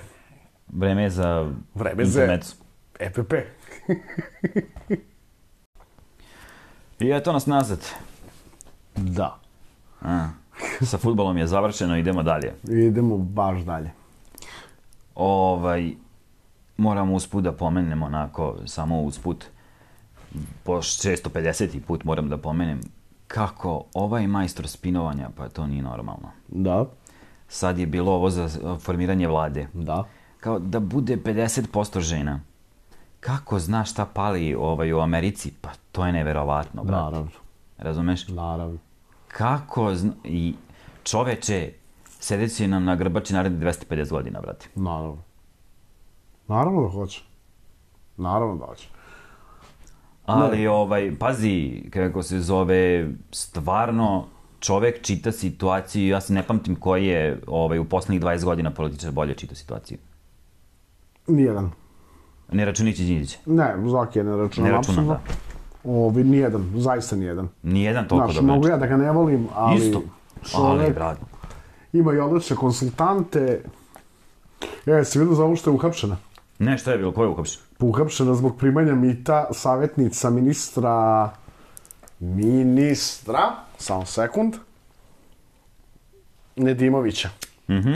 Vreme za... Vreme za... E P P. I eto nas nazad. Da. A, sa fudbalom je završeno, idemo dalje. Idemo baš dalje. Ovaj, moramo usput da pomenemo, onako, samo usput, po šesto pedeseti put moram da pomenem, kako ovaj majstor spinovanja, pa to nije normalno. Da. Sad je bilo ovo za formiranje vlade. Da. Kao da bude pedeset posto žena. Kako znaš šta pali ovaj, u Americi? Pa to je neverovatno, brate. Naravno. Razumeš? Naravno. Kako zna... I čoveče, sedeći nam na grbači narednih dvesta pedeset godina, brate. Naravno. Naravno da hoće. Naravno da hoće. Ali, ne. ovaj, pazi, kako se zove, stvarno čovek čita situaciju, ja se ne pamtim koji je ovaj, u poslednjih dvadeset godina političar bolje čita situaciju. Nijedan. Ne računići Đinđića? Ne, Zoki je ne računam. Ne računam, da. Ovi, nijedan, zaista nijedan. Nijedan toliko dobro. Znaš, mogu ja da ga ne volim, ali... Isto, čovek ali, brad. Ima i odlične konsultante. E, si vidio za ovo što je uhapšena? Ne, što je bilo, ko je uhapšena? Uhapšena zbog primanja mita savjetnica ministra... Ministra, samo sekund, Nedimovića. Mhm.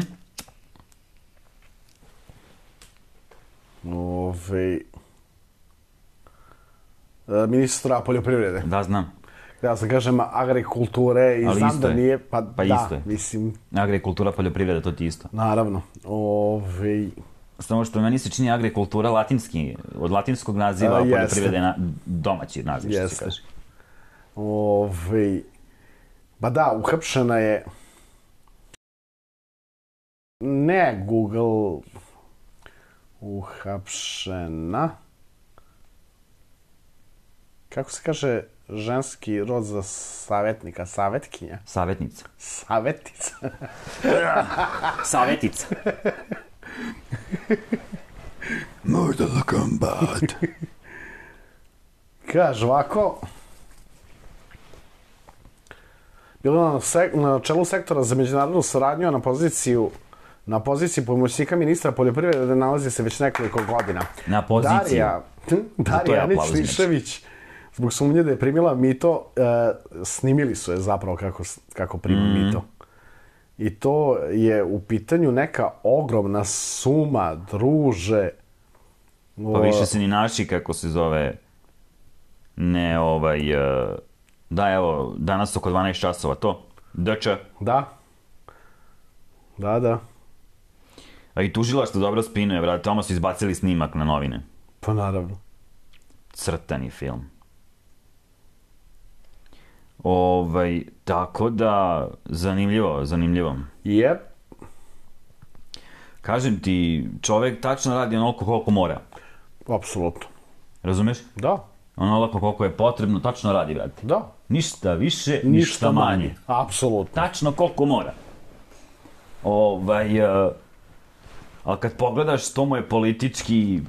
Ove... Ministra poljoprivrede. Da, znam. Ja sam kažem agrikulture i ali znam da je. nije, pa, pa da, isto je. mislim... Agrikultura, poljoprivreda, to ti isto. Naravno. Ove... Samo što meni se čini agrikultura latinski, od latinskog naziva, a poljoprivrede na domaći naziv, što se kaže. Ove... Ba da, uhapšena je... Ne Google... Uhapšena... Kako se kaže ženski rod za savjetnika? Savjetkinja? Savjetnica. Savjetnica. Savjetica. Mortal Kombat. Kaže ovako... Bilo na, sek na čelu sektora za međunarodnu saradnju, na poziciju na poziciji pomoćnika ministra poljoprivrede nalazi se već nekoliko godina. Na poziciju? Darija, Darija Anić-Lišević, zbog sumnje da je primila mito, e, snimili su je zapravo kako, kako prima mm. mito. I to je u pitanju neka ogromna suma, druže. Pa više se ni naši, kako se zove, ne ovaj... Uh... Da, evo, danas oko dvanaest časova, to? Dč. Da. Da, da. A i tužilaštvo dobro spinuje, brate, tamo su izbacili snimak na novine. Pa naravno. Crtani film. Ovaj, tako da, zanimljivo, zanimljivo. Jep. Kažem ti, čovek tačno radi onoliko koliko mora. Apsolutno. Razumeš? Da. Onoliko koliko je potrebno, tačno radi, brate. Da. Ništa više, ništa, ništa manje. manje. Apsolutno. Tačno koliko mora. Ovaj, uh, ali kad pogledaš, to mu je politički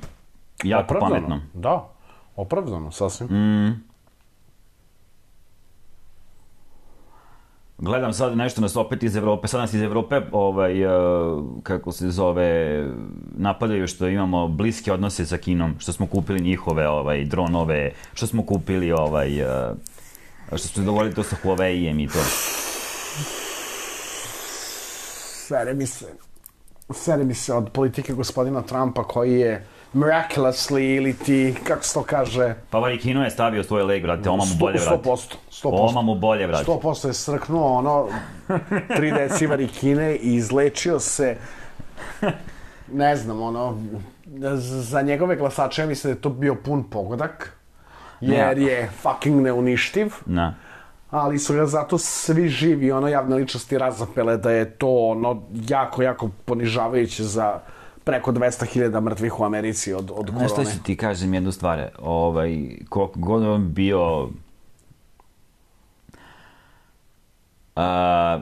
jako opravdano. Pametno. Da, opravdano, sasvim. Mm. Gledam sad nešto nas opet iz Evrope, sad nas iz Evrope, ovaj, uh, kako se zove, napadaju što imamo bliske odnose sa Kinom, što smo kupili njihove ovaj, dronove, što smo kupili, ovaj, uh, što smo dogovorili to sa Huawei-em i to. Sere mi se, sere mi se od politike gospodina Trumpa koji je miraculously ili ti, kako se to kaže... Pa Varikino je stavio svoj leg, brate, oma mu bolje, brate. sto posto, sto posto. Oma mu bolje, brate. sto posto je srknuo ono, tri deci Varikine i izlečio se, ne znam, ono, za njegove glasače mislim da je to bio pun pogodak, jer je fucking neuništiv. Ne. Ali su ga zato svi živi, ono, javne ličnosti razapele da je to, ono, jako, jako ponižavajuće za preko dvesta hiljada mrtvih u Americi od, od korone. Znaš šta ću ti kažem jednu stvar, ovaj, koliko god on bio... A,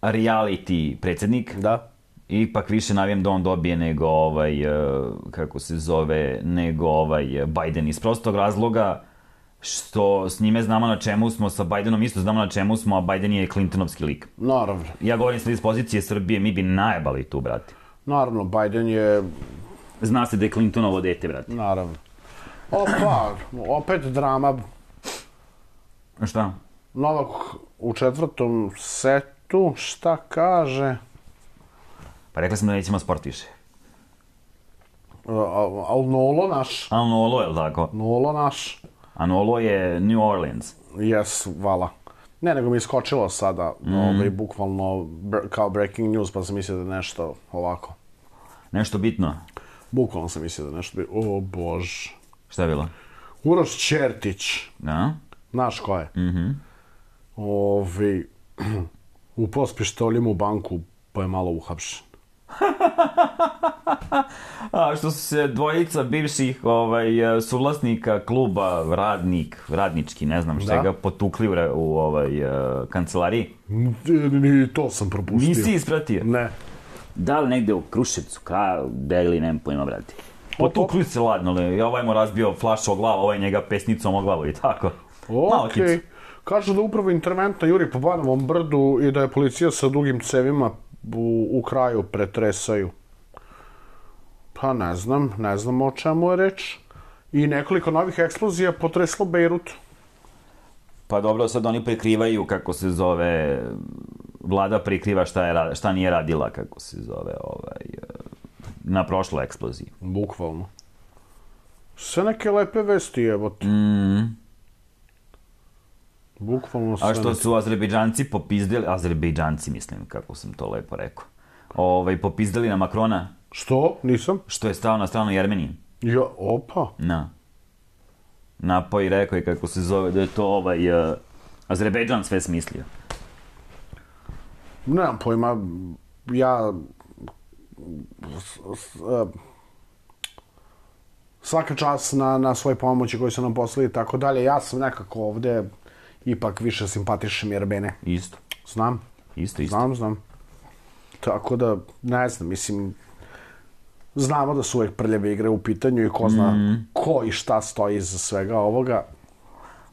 reality predsjednik. Da. Ipak više navijam da on dobije nego ovaj, kako se zove, nego ovaj Biden iz prostog razloga što s njime znamo na čemu smo, sa Bidenom isto znamo na čemu smo, a Biden je Clintonovski lik. Naravno. Ja govorim sad iz pozicije Srbije, mi bi najebali tu, brate. Naravno, Biden je... Zna se da je Clintonovo dete, brate. Naravno. Opa, opet drama. Šta? Novak u četvrtom setu, šta kaže? Pa rekla sam da nećemo sport više. Al Nolo naš. Al Nolo, je li tako? Nolo naš. A Nolo je New Orleans. Jes, vala. Ne, nego mi je skočilo sada, mm. ovaj, bukvalno kao breaking news, pa sam mislio da je nešto ovako. Nešto bitno? Bukvalno sam mislio da je nešto bitno. O, bož. Šta je bilo? Uroš Čertić. Da? Znaš ko je? Mhm. Ovi, upao s pištoljem u banku, pa je malo uhapšen. A što su se dvojica bivših ovaj, suvlasnika kluba Radnik, Radnički, ne znam šta, ga potukli u, u ovaj, uh, kancelariji? Ni to sam propustio. Nisi ispratio? Ne. Da li negde u Kruševcu, ka, Deli, nemam pojma, brati. Potukli se ladno, ali ovaj mu razbio flaš o glavu, ovaj njega pesnicom o glavu i tako. Okej. Okay. Kažu da upravo interventno juri po Banovom brdu i da je policija sa dugim cevima u, u kraju pretresaju. Pa ne znam, ne znam o čemu je reč. I nekoliko novih eksplozija potreslo Bejrut. Pa dobro, sad oni prikrivaju, kako se zove, vlada prikriva šta, je, šta nije radila, kako se zove, ovaj, na prošloj eksploziji. Bukvalno. Sve neke lepe vesti, evo ti. Mm. Bukvalno sve. A što su Azerbejdžanci popizdeli, Azerbejdžanci mislim, kako sam to lepo rekao, ovaj, popizdeli na Makrona. Što? Nisam. Što je stao na stranu Jermenije. Ja, opa. Na. Napao i rekao je kako se zove, da je to ovaj, uh, Azerbejdžan sve smislio. Nemam pojma, ja... Svaka čast na, na svoje pomoći koje su nam poslali i tako dalje. Ja sam nekako ovde ipak više simpatišem Jerbene. Isto. Znam. Isto, isto. Znam, znam. Tako da, ne znam, mislim, znamo da su uvek prljave igre u pitanju i ko zna mm. ko i šta stoji iza svega ovoga.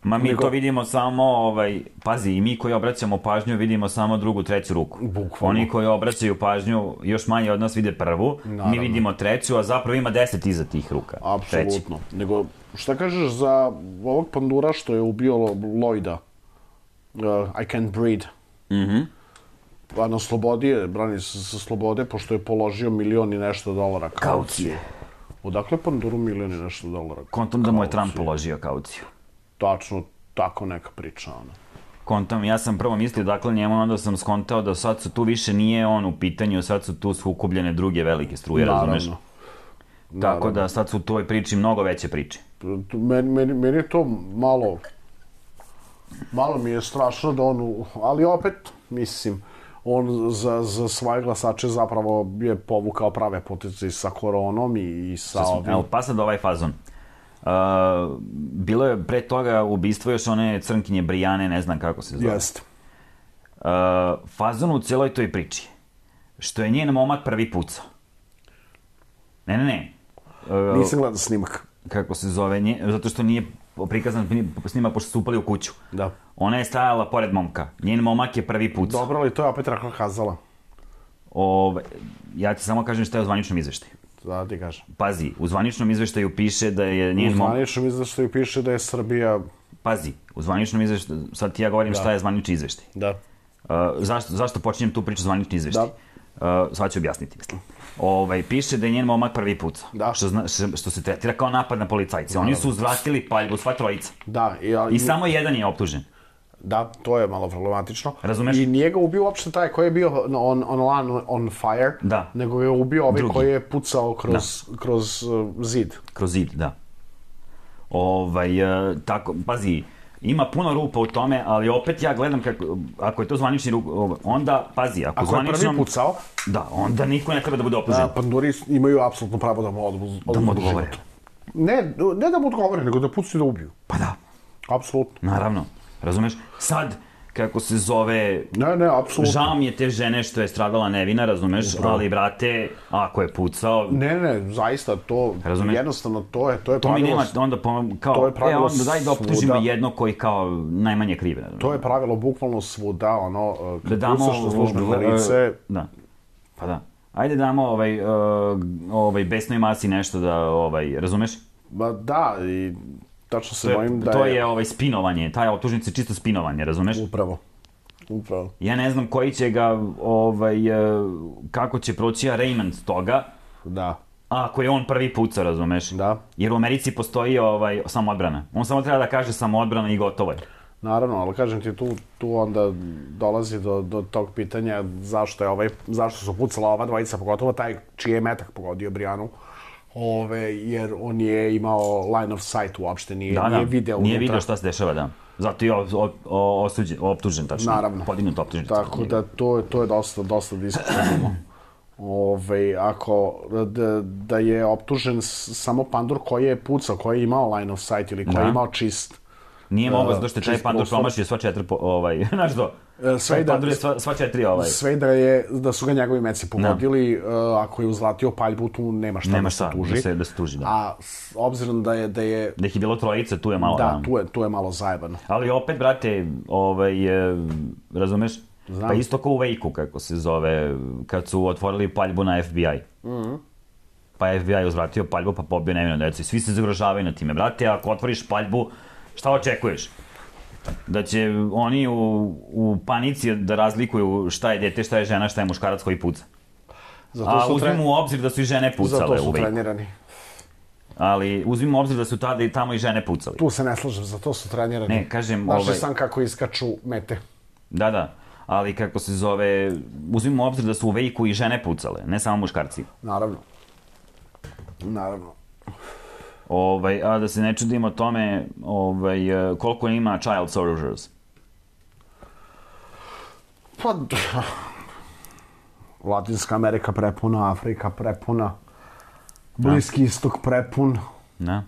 Ma mi Nego... to vidimo samo, ovaj, pazi, i mi koji obraćamo pažnju vidimo samo drugu, treću ruku. Bukvalno. Oni koji obraćaju pažnju još manje od nas vide prvu, naravno. Mi vidimo treću, a zapravo ima deset iza tih ruka. Apsolutno. Nego, šta kažeš za ovog pandura što je ubio Lloyda? Uh, I can't breathe. Mhm. Pa na slobodi je, brani se sa slobode, pošto je položio milion i nešto dolara kaucije. Odakle panduru milion i nešto dolara? Kontom da mu je Trump položio kauciju. Tačno, tako neka priča, ono. Kontam, ja sam prvo mislio, dakle, njemu onda sam skontao da sad su tu više nije on u pitanju, sad su tu sukobljene druge velike struje, Naravno. razumeš? Naravno. Tako da sad su u toj priči mnogo veće priče. Meni, meni, meni je to malo, malo mi je strašno da on, ali opet, mislim, on za, za svoje glasače zapravo je povukao prave poteze sa koronom i, i sa ovim. Evo, pa sad ovaj fazon. Uh, bilo je pre toga ubistvo još one crnkinje Brijane, ne znam kako se zove. Jeste. Uh, fazon u cijeloj toj priči, što je njen momak prvi pucao. Ne, ne, ne. Uh, Nisam gledao snimak. Kako se zove, nje, zato što nije prikazan snimak pošto su upali u kuću. Da. Ona je stajala pored momka. Njen momak je prvi pucao. Dobro, ali to je opet Rahla kazala. Ove, ja ti samo kažem šta je u zvaničnom izveštaju. Da, ti kažem. Pazi, u zvaničnom izveštaju piše da je njen momak... U zvaničnom izveštaju piše da je Srbija... Pazi, u zvaničnom izveštaju, sad ti ja govorim da. Šta je zvanični izveštaj. Da. Uh, zašto, zašto počinjem tu priču zvanični izveštaj? Da. Uh, sad ću objasniti, mislim. Ovaj, piše da je njen momak prvi put. Da. Što, zna, što, što se tretira kao napad na policajce. Oni su uzvratili paljbu, sva trojica. Da. I, a, I samo jedan je optužen. Da, to je malo problematično. Razumeš? I nije ga ubio uopšte taj koji je bio on, on, on, on fire, da. nego je ubio ovaj Drugi. koji je pucao kroz, da. kroz uh, zid. Kroz zid, da. Ovaj, uh, tako, pazi, ima puno rupa u tome, ali opet ja gledam kako, ako je to zvanični ruk, onda, pazi, ako, ako zvaničnom... Ako je prvi pucao... Da, onda niko ne treba da bude optužen. Da, panduri imaju apsolutno pravo da mu odbu, da mu odgovore. Ne, ne da mu odgovore, nego da pucaju da ubiju. Pa da. Apsolutno. Naravno. Razumeš? Sad, kako se zove... Ne, ne, apsolutno. Žao mi je te žene što je stradala nevina, razumeš? Upravo. Ali, brate, ako je pucao... Ne, ne, zaista, to... Razumeš? Jednostavno, to je, to je to pravilo... To mi nema, onda po, kao... To je pravilo e, onda daj da optužimo svuda. jedno koji kao najmanje krive. To je pravilo bukvalno svuda, ono... Kad da damo... pucaš na službeno lice... Da. Pa da. Ajde damo ovaj, uh, ovaj besnoj masi nešto da, ovaj, razumeš? Ba da, i... Tačno se to bojim da to je... je ovaj spinovanje, taj optužnica je čisto spinovanje, razumeš? Upravo. Upravo. Ja ne znam koji će ga, ovaj, kako će proći arraignment toga. Da. Ako je on prvi puca, razumeš? Da. Jer u Americi postoji ovaj, samoodbrana. On samo treba da kaže samoodbrana i gotovo je. Naravno, ali kažem ti, tu, tu onda dolazi do, do tog pitanja zašto je ovaj, zašto su pucala ova dvojica, pogotovo taj čiji je metak pogodio Brijanu. Ove, jer on je imao line of sight uopšte, nije, da, nije da. video Nije unutra. video šta se dešava, da. Zato je osuđen, optužen, tačno. Naravno. Podignut optužen. Tako da to, to je dosta, dosta diskutabilno. Ove, ako da, da je optužen samo pandur koji je pucao, koji je imao line of sight ili koji da. je imao čist... Nije mogao, zato što je taj pandur promašio sva četiri, ovaj, znaš do, sve da, pandur je sva, sva četiri, ovaj. Sve da, je, da su ga njegovi meci pogodili, no. uh, ako je uzvratio paljbu, tu nema šta nema da se tuži. Da se, da se tuži, da. A s obzirom da je... Da, je, da ih je bilo trojice, tu je malo... Da, tu je, tu je malo zajebano. Ali opet, brate, ovaj, razumeš? Znam. Pa isto kao u Vejku, kako se zove, kad su otvorili paljbu na F B I. Mhm. Pa F B I uzvratio paljbu, pa pobio nevino decu. I svi se zagrožavaju na time. Brate, ako otvoriš paljbu, šta očekuješ? Da će oni u, u panici da razlikuju šta je dete, šta je žena, šta je muškarac koji puca. Zato A uzmimo u obzir da su i žene pucale u Vejku. Zato su trenirani. Ali uzmimo u obzir da su tada i tamo i žene pucale. Tu se ne slažem, zato su trenirani. Ne, kažem... Znaš ovaj... sam kako iskaču mete. Da, da. Ali kako se zove, uzmimo u obzir da su u Vejku i žene pucale, ne samo muškarci. Naravno. Naravno. Ovaj, a da se ne čudimo tome, ovaj, koliko ima child soldiers? Pa, Latinska Amerika prepuna, Afrika prepuna, Bliski istok prepun. Da.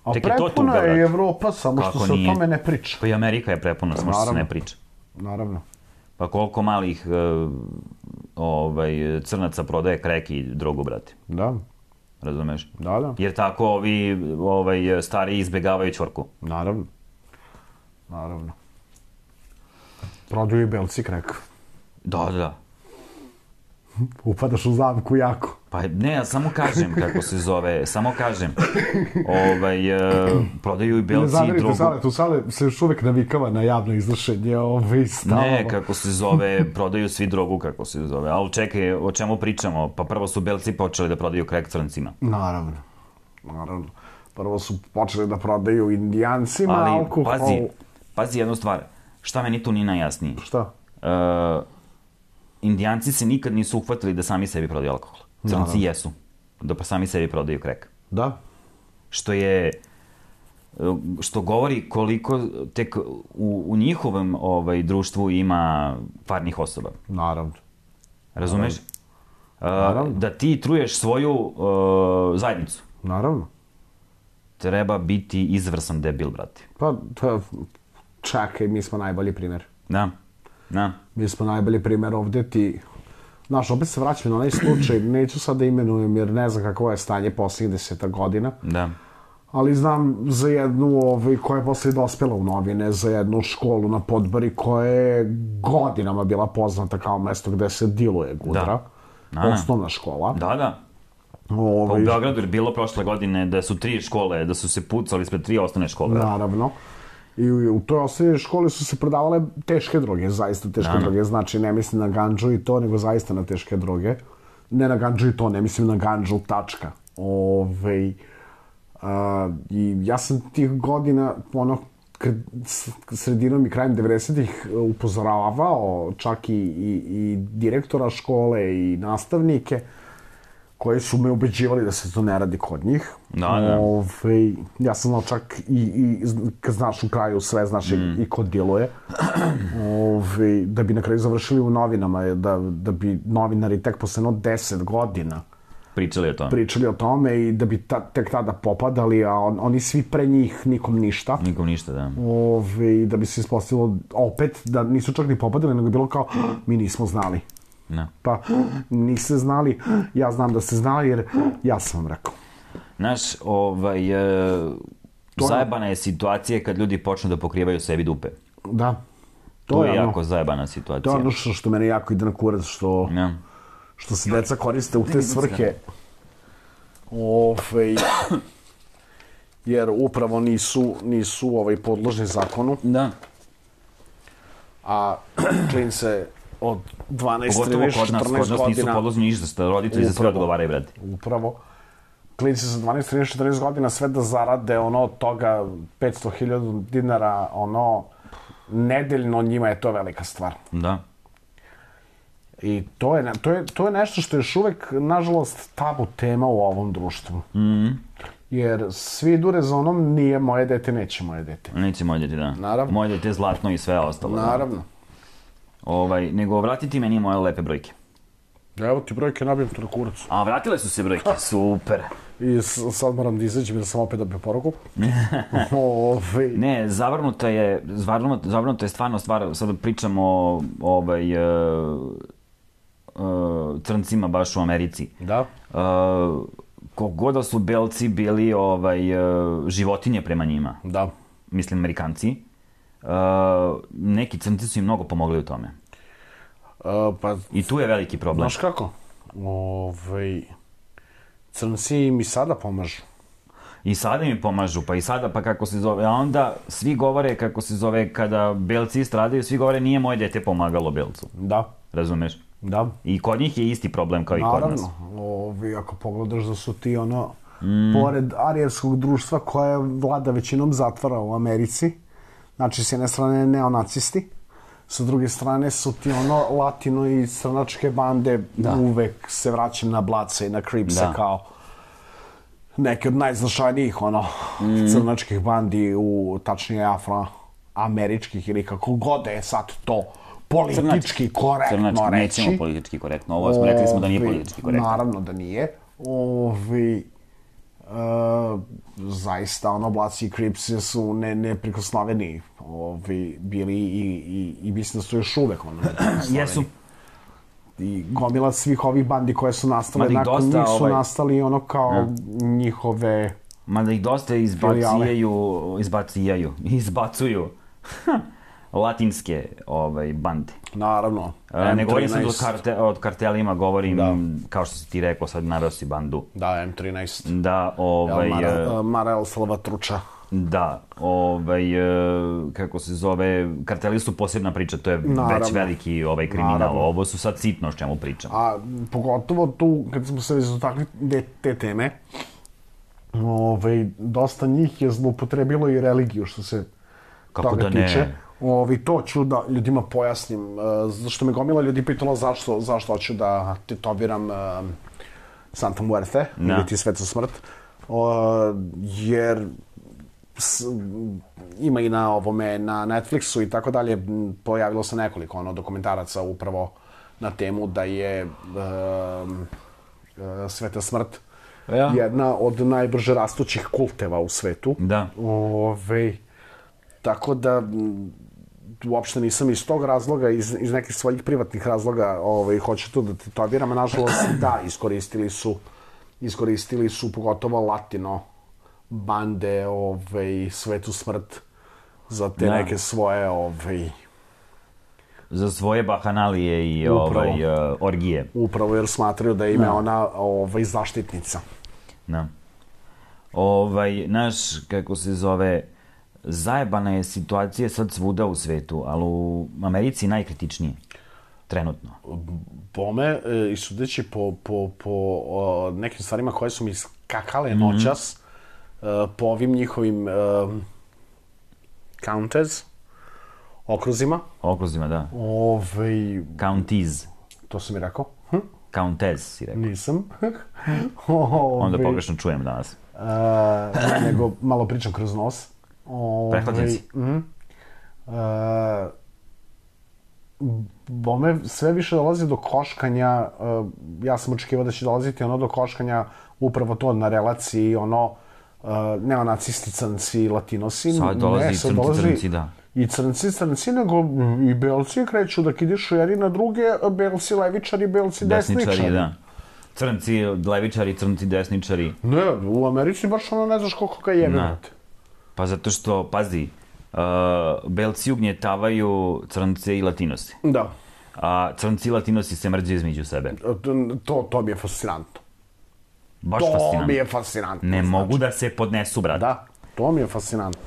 A Tek prepuna je, je Evropa, samo Kako što se nije? o tome ne priča. Pa i Amerika je prepuna, samo što se ne priča. Naravno. Pa koliko malih uh, ovaj, crnaca prodaje krek i drogu, brate. Da. Razumeš? Da, da. Jer tako ovi ovaj, stari izbjegavaju čorku. Naravno. Naravno. Prodaju i belci krek. Da, da. Upadaš u zamku jako. Pa ne, ja samo kažem kako se zove, samo kažem. Ovaj, uh, prodaju i belci i drogu. Sale, tu Sale se još uvek navikava na javno iznošenje ove stavova. Ne, kako se zove, prodaju svi drogu, kako se zove. Ali čekaj, o čemu pričamo? Pa prvo su belci počeli da prodaju krek crncima. Naravno. Naravno. Prvo su počeli da prodaju indijancima ali, alkohol. Pazi, pazi jednu stvar. Šta meni tu nije najjasnije? Šta? Uh, indijanci se nikad nisu uhvatili da sami sebi prodaju alkohol. Crnci Naravno. jesu. Da pa sami sebi prodaju krek. Da. Što je... Što govori koliko tek u, u njihovom ovaj, društvu ima farnih osoba. Naravno. Razumeš? Naravno. Uh, da ti truješ svoju uh, zajednicu. Naravno. Treba biti izvrsan debil, brate. Pa, pa čakaj, mi smo najbolji primjer. Da, da. Mi smo najbolji primjer ovdje ti... Znaš, opet se vraćam na onaj slučaj, neću sad da imenujem jer ne znam kako je stanje posljednjih deseta godina. Da. Ali znam za jednu ovaj, koja je posle dospela u novine, za jednu školu na Podbari koja je godinama bila poznata kao mesto gde se diluje gudra. Da. Da, osnovna škola. Da, da. Ovaj... Pa u Beogradu je bilo prošle godine da su tri škole, da su se pucali ispred tri osnovne škole. Naravno. I u toj osnovnoj školi su se prodavale teške droge, zaista teške droge. Znači, ne mislim na ganđu i to, nego zaista na teške droge. Ne na ganđu i to, ne mislim na ganđu, tačka. Ove, a, i ja sam tih godina, ono, sredinom i krajem devedesetih upozoravao čak i, i, i direktora škole i nastavnike koji su me ubeđivali da se to ne radi kod njih. Da, da. Ove, ja sam znao čak i, i kad znaš u kraju sve, znaš mm. i, i ko djeluje. Ove, da bi na kraju završili u novinama, da, da bi novinari tek posle no deset godina Pričali o tome. Pričali o tome i da bi ta, tek tada popadali, a on, oni svi pre njih nikom ništa. Nikom ništa, da. Ove, da bi se ispostavilo opet da nisu čak ni popadali, nego je bilo kao, mi nismo znali. Ne. Pa, niste znali, ja znam da ste znali jer ja sam vam rekao. Znaš, ovaj, e, zajebana je situacija kad ljudi počnu da pokrivaju sebi dupe. Da. To, to je ono, jako zajebana situacija. To je ono što, što mene jako ide na kurac, što... Ne. Što se deca koriste u te svrhe. Ove, jer upravo nisu, nisu ovaj, podložni zakonu. Da. A klince od dvanaest, trinaest, četrnaest godina... Pogotovo kod nas nisu podložni ništa, roditelji za sve odgovaraju, brate. Upravo. Klinci sa dvanaest, trinaest, četrnaest godina sve da zarade ono od toga petsto hiljada dinara, ono, nedeljno, njima je to velika stvar. Da. I to je, to, je, to je nešto što je još uvek, nažalost, tabu tema u ovom društvu. Mm-hmm. Jer svi idu rezonom, nije moje dete, neće moje dete. Neće moje dete, da. Naravno. Moje dete je zlatno i sve ostalo. Naravno. Da. Ovaj, nego vratiti meni moje lepe brojke. Evo ti brojke, nabijem to na kurac. A, vratile su se brojke, super. I sad moram da izađem jer sam opet dobio poruku. Ove... Ne, zavrnuto je, zavrnuto, zavrnuto je stvarno stvar, sad pričamo o ovaj, uh, uh, crncima baš u Americi. Da. Uh, Kogod da su belci bili ovaj, uh, životinje prema njima. Da. Mislim, Amerikanci. Uh, neki crnci su im mnogo pomogli u tome. Uh, pa, I tu je veliki problem. Znaš kako? Ovaj... Crnci im i sada pomažu. I sada mi pomažu, pa i sada, pa kako se zove. A onda svi govore, kako se zove, kada belci stradaju, svi govore nije moje dete pomagalo belcu. Da. Razumeš? Da. I kod njih je isti problem kao naravno, i kod nas. Naravno. Ovi, ako pogledaš da su ti ono, mm. pored arijevskog društva koje vlada većinom zatvora u Americi, znači s jedne strane neonacisti, sa druge strane su ti ono latino i crnačke bande, da. Uvek se vraćam na Bladse i na Cripse kao neke od najznačajnijih ono mm. crnačkih bandi, u, tačnije afroameričkih ili kako god je sad to politički Crnački. korektno Crnački, reći. Nećemo politički korektno, ovo smo rekli smo da nije politički korektno. Naravno da nije. Ovi, Uh, zaista ono Bladsi i Cripsi su ne, neprikosnoveni ovi, bili i, i, i mislim da su još uvek ono jesu. I gomila svih ovih bandi koje su nastale nakon dosta, njih su ovaj... nastali ono kao ja. njihove mada ih dosta izbacujaju izbacujaju izbacuju latinske ovaj, bande. Naravno. E, ne govorim sad od, karte, od kartelima, govorim, da. Kao što si ti rekao, sad naveo si bandu. Da, em trinaest. Da, ovaj... Mara, Marel Salvatruča. Da, ovaj, kako se zove, karteli su posebna priča, to je naravno. Već veliki ovaj kriminal. Naravno. Ovo su sad sitno o čemu pričam. A pogotovo tu, kad smo se dotakli te teme, ovaj, dosta njih je zloupotrebilo i religiju, što se kako toga da ne? tiče. Ovi, to ću da ljudima pojasnim, uh, zašto me gomila ljudi pitalo zašto, zašto hoću da tetoviram uh, Santa Muerte, no. ili ti Sveta smrt, uh, jer s, ima i na ovome, na Netflixu i tako dalje, pojavilo se nekoliko ono, dokumentaraca upravo na temu da je uh, uh, Sveta smrt ja. jedna od najbrže rastućih kulteva u svetu. Da. Ove, tako da uopšte nisam iz tog razloga, iz, iz nekih svojih privatnih razloga ovaj, hoću to da tetoviram, a nažalost da, iskoristili su, iskoristili su pogotovo latino bande, ovaj, Svetu smrt za te da. neke svoje ovaj, za svoje bahanalije i upravo, ovaj, uh, orgije. Upravo jer smatraju da ime da. ona ovaj, zaštitnica. Da. Ovaj, naš, kako se zove, zajebana je situacija sad svuda u svetu, ali u Americi najkritičnije. Trenutno. Bome, i sudeći po, po, po o, nekim stvarima koje su mi skakale noćas, mm. uh, po ovim njihovim uh, counties, okruzima. Okruzima, da. Ove... Counties. To sam mi rekao. Hm? Countess, si rekao. Nisam. Ove... Onda pogrešno čujem danas. Uh, nego malo pričam kroz nos. Ove... Prehlađen si. Mm. Uh, Bome, sve više dolazi do koškanja, uh, ja sam očekivao da će dolaziti ono do koškanja upravo to na relaciji, ono, uh, neonacisti, crnci, latinosi. Sad dolazi ne, i crnci, dolazi crnci, da. I crnci, crnci, nego i belci kreću da kidišu jer i na druge, belci levičari, belci desničari. Desničari, da. Crnci, levičari, crnci, desničari. Ne, u Americi baš ono ne znaš koliko ga jebe. Pa zato što, pazi, Uh, belci ugnjetavaju crnce i latinose. Da. A crnci i latinosi se mrđe između sebe. To, to mi je fascinantno. Baš to fascinantno. To mi je fascinantno. Ne znači. mogu da se podnesu, brate. Da, to mi je fascinantno.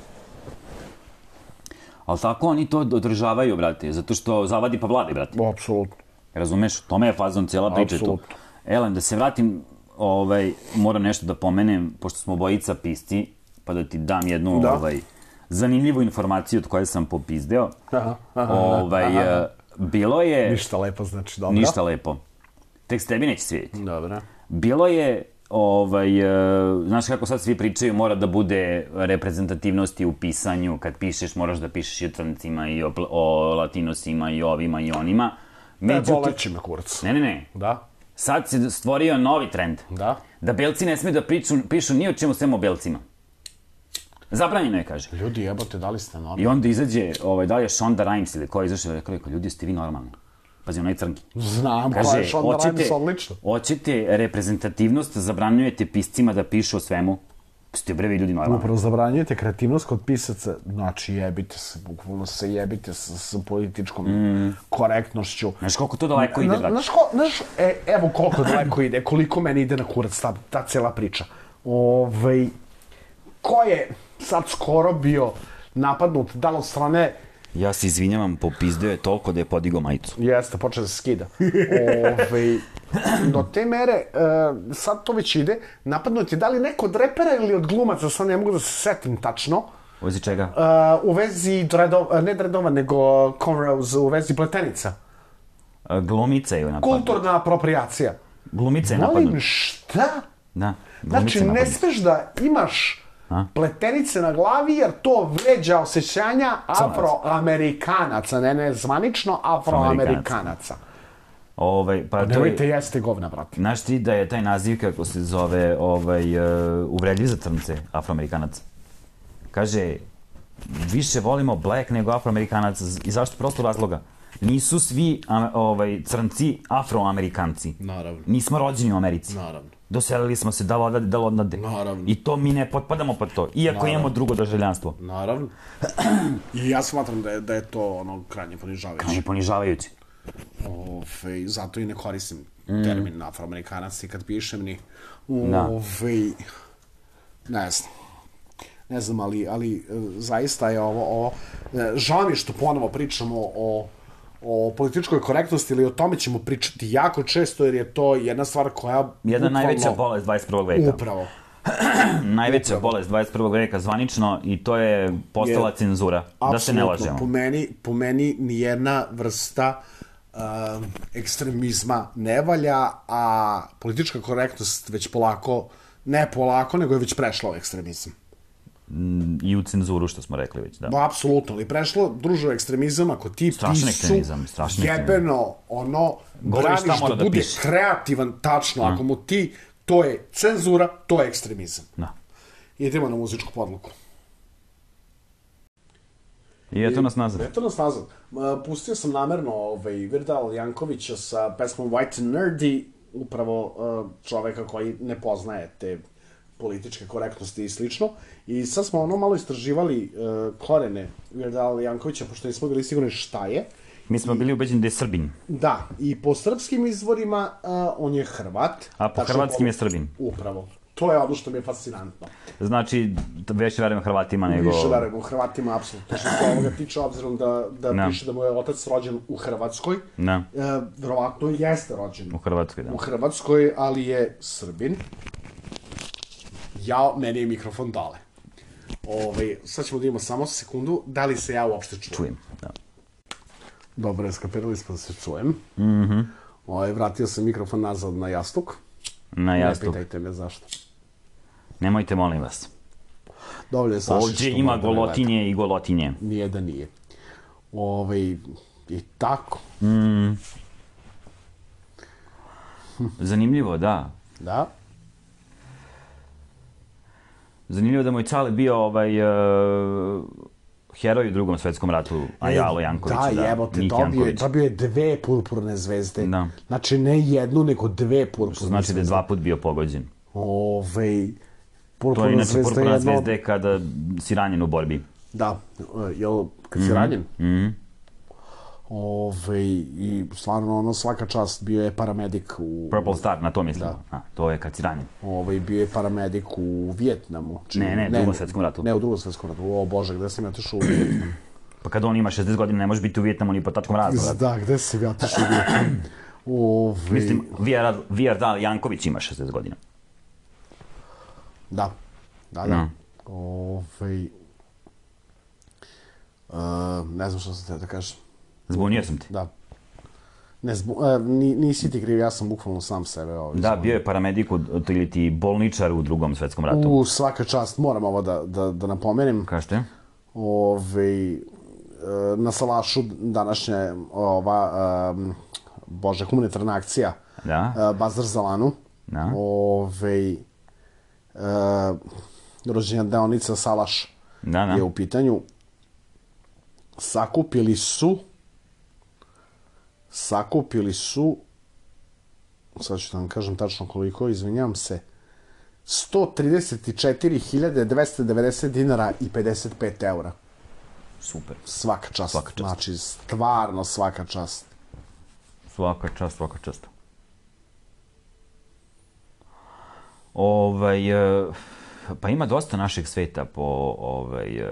Ali tako oni to održavaju, brate, zato što zavadi pa vladi, brate. Apsolutno. Razumeš? Tome je fazon cijela priča tu. Elem, da se vratim, ovaj, moram nešto da pomenem, pošto smo obojica pisci, pa da ti dam jednu, da. ovaj, zanimljivu informaciju od koje sam popizdeo. Aha, aha, ovaj, aha. Bilo je... Ništa lepo, znači, dobro. Ništa lepo. Tek s tebi neće svidjeti. Dobro. Bilo je, ovaj, znaš kako sad svi pričaju, mora da bude reprezentativnosti u pisanju. Kad pišeš, moraš da pišeš i o crncima, i o, o latinosima, i ovima, i onima. Međutim... Ne, boleći me kurac. Ne, ne, ne. Da. Sad se stvorio novi trend. Da. Da belci ne smiju da priču, pišu ni o čemu sem o belcima. Zabranjeno je, kaže. Ljudi, jebote, da li ste normalni? I onda izađe, ovaj, da li je Shonda Rhimes ili ko je izašao, rekao, rekao, ljudi, ste vi normalni. Pazi, onaj crnki. Znam, ko je Shonda Rhimes, odlično. Hoćete reprezentativnost, zabranjujete piscima da pišu o svemu. Ste brevi ljudi normalni. Upravo zabranjujete kreativnost kod pisaca, znači jebite se, bukvalno se jebite sa, sa političkom mm. korektnošću. Znaš koliko to daleko ide, brate? Znaš, ko, znaš e, evo koliko daleko ide, koliko meni ide na kurac ta, ta cijela priča. Ovej, ko je sad skoro bio napadnut, da li od strane... Ja se izvinjavam, popizdeo je toliko da je podigao majicu. Jeste, počeo da se skida. Ove, do te mere, uh, sad to već ide, napadnut je da li neko od repera ili od glumaca, sad ne mogu da se setim tačno. U vezi čega? Uh, u vezi, dredova, ne dredova, nego cornrows, u vezi pletenica. Uh, glumica je napadnut. Kulturna apropriacija. Glumica je napadnut. Molim, šta? Da, znači, ne smeš da imaš A? pletenice na glavi, jer to vređa osjećanja afroamerikanaca, ne ne zvanično afroamerikanaca. Ovaj, pa nemojte jeste govna, brate. Znaš ti da je taj naziv, kako se zove, ovaj, uh, uvredljiv za crnce, afroamerikanaca? Kaže, više volimo black nego afroamerikanaca. I zašto? Prosto razloga. Nisu svi a, ovaj, crnci afroamerikanci. Naravno. Nismo rođeni u Americi. Naravno. Doselili smo se da odade, da odnade. Naravno. I to mi ne potpadamo pod to. Iako Naravno. imamo drugo državljanstvo. Naravno. I ja smatram da je, da je to ono krajnje ponižavajuće. Krajnje ponižavajuće. Ove, zato i ne koristim mm. termin afroamerikanac i kad pišem ni... Ove, ne znam. Ne znam, ali, ali zaista je ovo... ovo žao mi što ponovo pričamo o... o političkoj korektnosti ili o tome ćemo pričati jako često, jer je to jedna stvar koja... Jedna bukvalno... najveća bolest dvadeset prvog veka. Upravo. najveća Upravo. bolest dvadeset prvog veka zvanično i to je postala je, cenzura. Da se ne lažemo. Po meni, po meni nijedna vrsta uh, ekstremizma ne valja, a politička korektnost već polako, ne polako, nego je već prešla u ekstremizam. I u cenzuru, što smo rekli već, da. Ba, apsolutno, ali prešlo, družo, ekstremizam, ako ti strašni pisu jebeno, ono, govoriš braniš da, da bude piši. kreativan, tačno, mm. ako mu ti, to je cenzura, to je ekstremizam. Da. Idemo na muzičku podluku. I eto nas nazad. Eto nas nazad. Pustio sam namerno ovaj, Weird Al Jankovića sa pesmom White and Nerdy, upravo uh, čoveka koji ne poznaje te političke korektnosti i slično. I sad smo ono malo istraživali uh, korene Weird Al Jankovića, pošto nismo bili sigurni šta je. Mi smo I, bili ubeđeni da je Srbin. Da, i po srpskim izvorima uh, on je Hrvat. A po hrvatskim po, je Srbin. Upravo. to je ono što mi je fascinantno. Znači, više verujem Hrvatima nego... Više verujem u Hrvatima, apsolutno. Što se ovoga tiče, obzirom da, da no. piše da mu je otac rođen u Hrvatskoj, no. e, verovatno jeste rođen u Hrvatskoj, da. U Hrvatskoj, ali je Srbin. Ja, meni je mikrofon dale. Ove, sad ćemo da imamo samo sekundu, da li se ja uopšte čujem? Čujem, da. Dobro, skapirali smo da se čujem. Mhm. Ove, vratio sam mikrofon nazad na jastuk. Na jastuk. Ne pitajte me zašto. Nemojte, molim vas. Dovoljno je Saša što... Ovdje ima golotinje i golotinje. Nije da nije. Ove, i tako. Mm. Zanimljivo, da. Da. Zanimljivo da moj Cale bio ovaj, uh, heroj u drugom svetskom ratu, a Jalo Janković. Da, da jebote, dobio, dobio je dve purpurne zvezde. Da. Znači, ne jednu, nego dve purpurne Što znači zvezde. da je dva put bio pogođen. Ove, to je inače zvezda purpurna jedno... zvezda je kada si ranjen u borbi. Da, jel, kad si mm-hmm. ranjen? Mhm. Ove, i stvarno, ono, svaka čast, bio je paramedik u... Purple Star, na to mislim. Da. A, to je kad si ranjen. Ove, bio je paramedik u Vijetnamu. Čini, ne, ne, u drugom svetskom ratu. Ne, u drugom svetskom ratu. O Bože, gde sam ja otišao u Vijetnamu? Pa kad on ima šezdeset godina, ne može biti u Vijetnamu ni po tačkom razloga. Da, gde sam ja otišao u Vijetnamu? Ove... Mislim, Vijardal Janković ima šezdeset godina. Da, da, da. Mm. Ove... Uh, ne znam što sam te da kažem. Zbunio sam ti. Da. Ne, zbu, uh, nisi ti kriv, ja sam bukvalno sam sebe. Ovaj, da, bio je paramedik ili ti bolničar u drugom svetskom ratu. U svaka čast, moram ovo da, da, da napomenem. Kažete? Ove, uh, na Salašu današnja ova, um, bože, humanitarna akcija. Da. Uh, Bazar za Lanu. Da. Ove, uh, rođenja deonica Salaš da, da. je u pitanju. Sakupili su sakupili su sad ću da vam kažem tačno koliko, izvinjam se, sto trideset četiri hiljade dvesta devedeset dinara i pedeset pet eura. Super. Svaka čast. Svaka čast. Znači, stvarno svaka čast. Svaka čast, svaka čast. Ovaj, pa ima dosta našeg sveta po ovaj,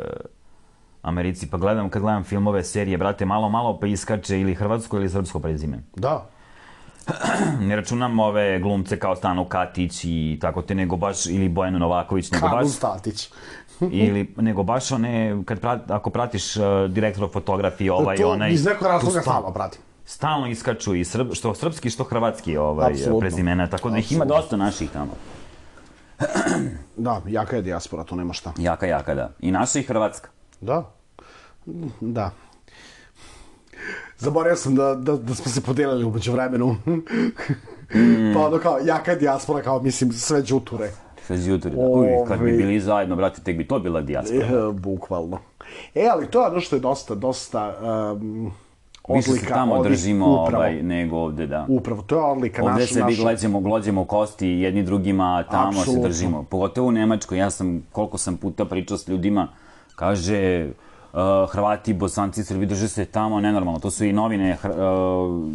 Americi, pa gledam, kad gledam filmove, serije, brate, malo, malo pa iskače ili hrvatsko ili srpsko prezime. Da. Ne računam ove glumce kao Stano Katić i tako te, nego baš, ili Bojana Novaković, nego baš... Kanu Statić. ili, nego baš one, kad prat, ako pratiš uh, direktora fotografije, ovaj, to, onaj... iz nekog razloga stalno pratim. Stalno iskaču i srb, što srpski, što hrvatski ovaj, Absolutno. prezimena, tako da ih ima dosta naših tamo. Da, jaka je dijaspora, to nema šta. Jaka, jaka, da. I naša i hrvatska. Da. Da. Zaboravio sam da, da, da smo se podelili umeđu vremenu. mm. Pa ono kao, jaka je dijaspora, kao, mislim, sve džuture. Sve džuture, da. Uj, kad bi bili zajedno, brate, tek bi to bila dijaspora. E, bukvalno. E, ali to je ono što je dosta, dosta... Um, Više se tamo odlika, držimo ovaj, nego ovde, da. Upravo, to je odlika naša. Ovde se naša... gleđemo, glođemo kosti jedni drugima, tamo Absolutno. se držimo. Pogotovo u Nemačkoj, ja sam, koliko sam puta pričao s ljudima, kaže, uh, Hrvati, Bosanci, Srbi drže se tamo, nenormalno. To su i novine uh,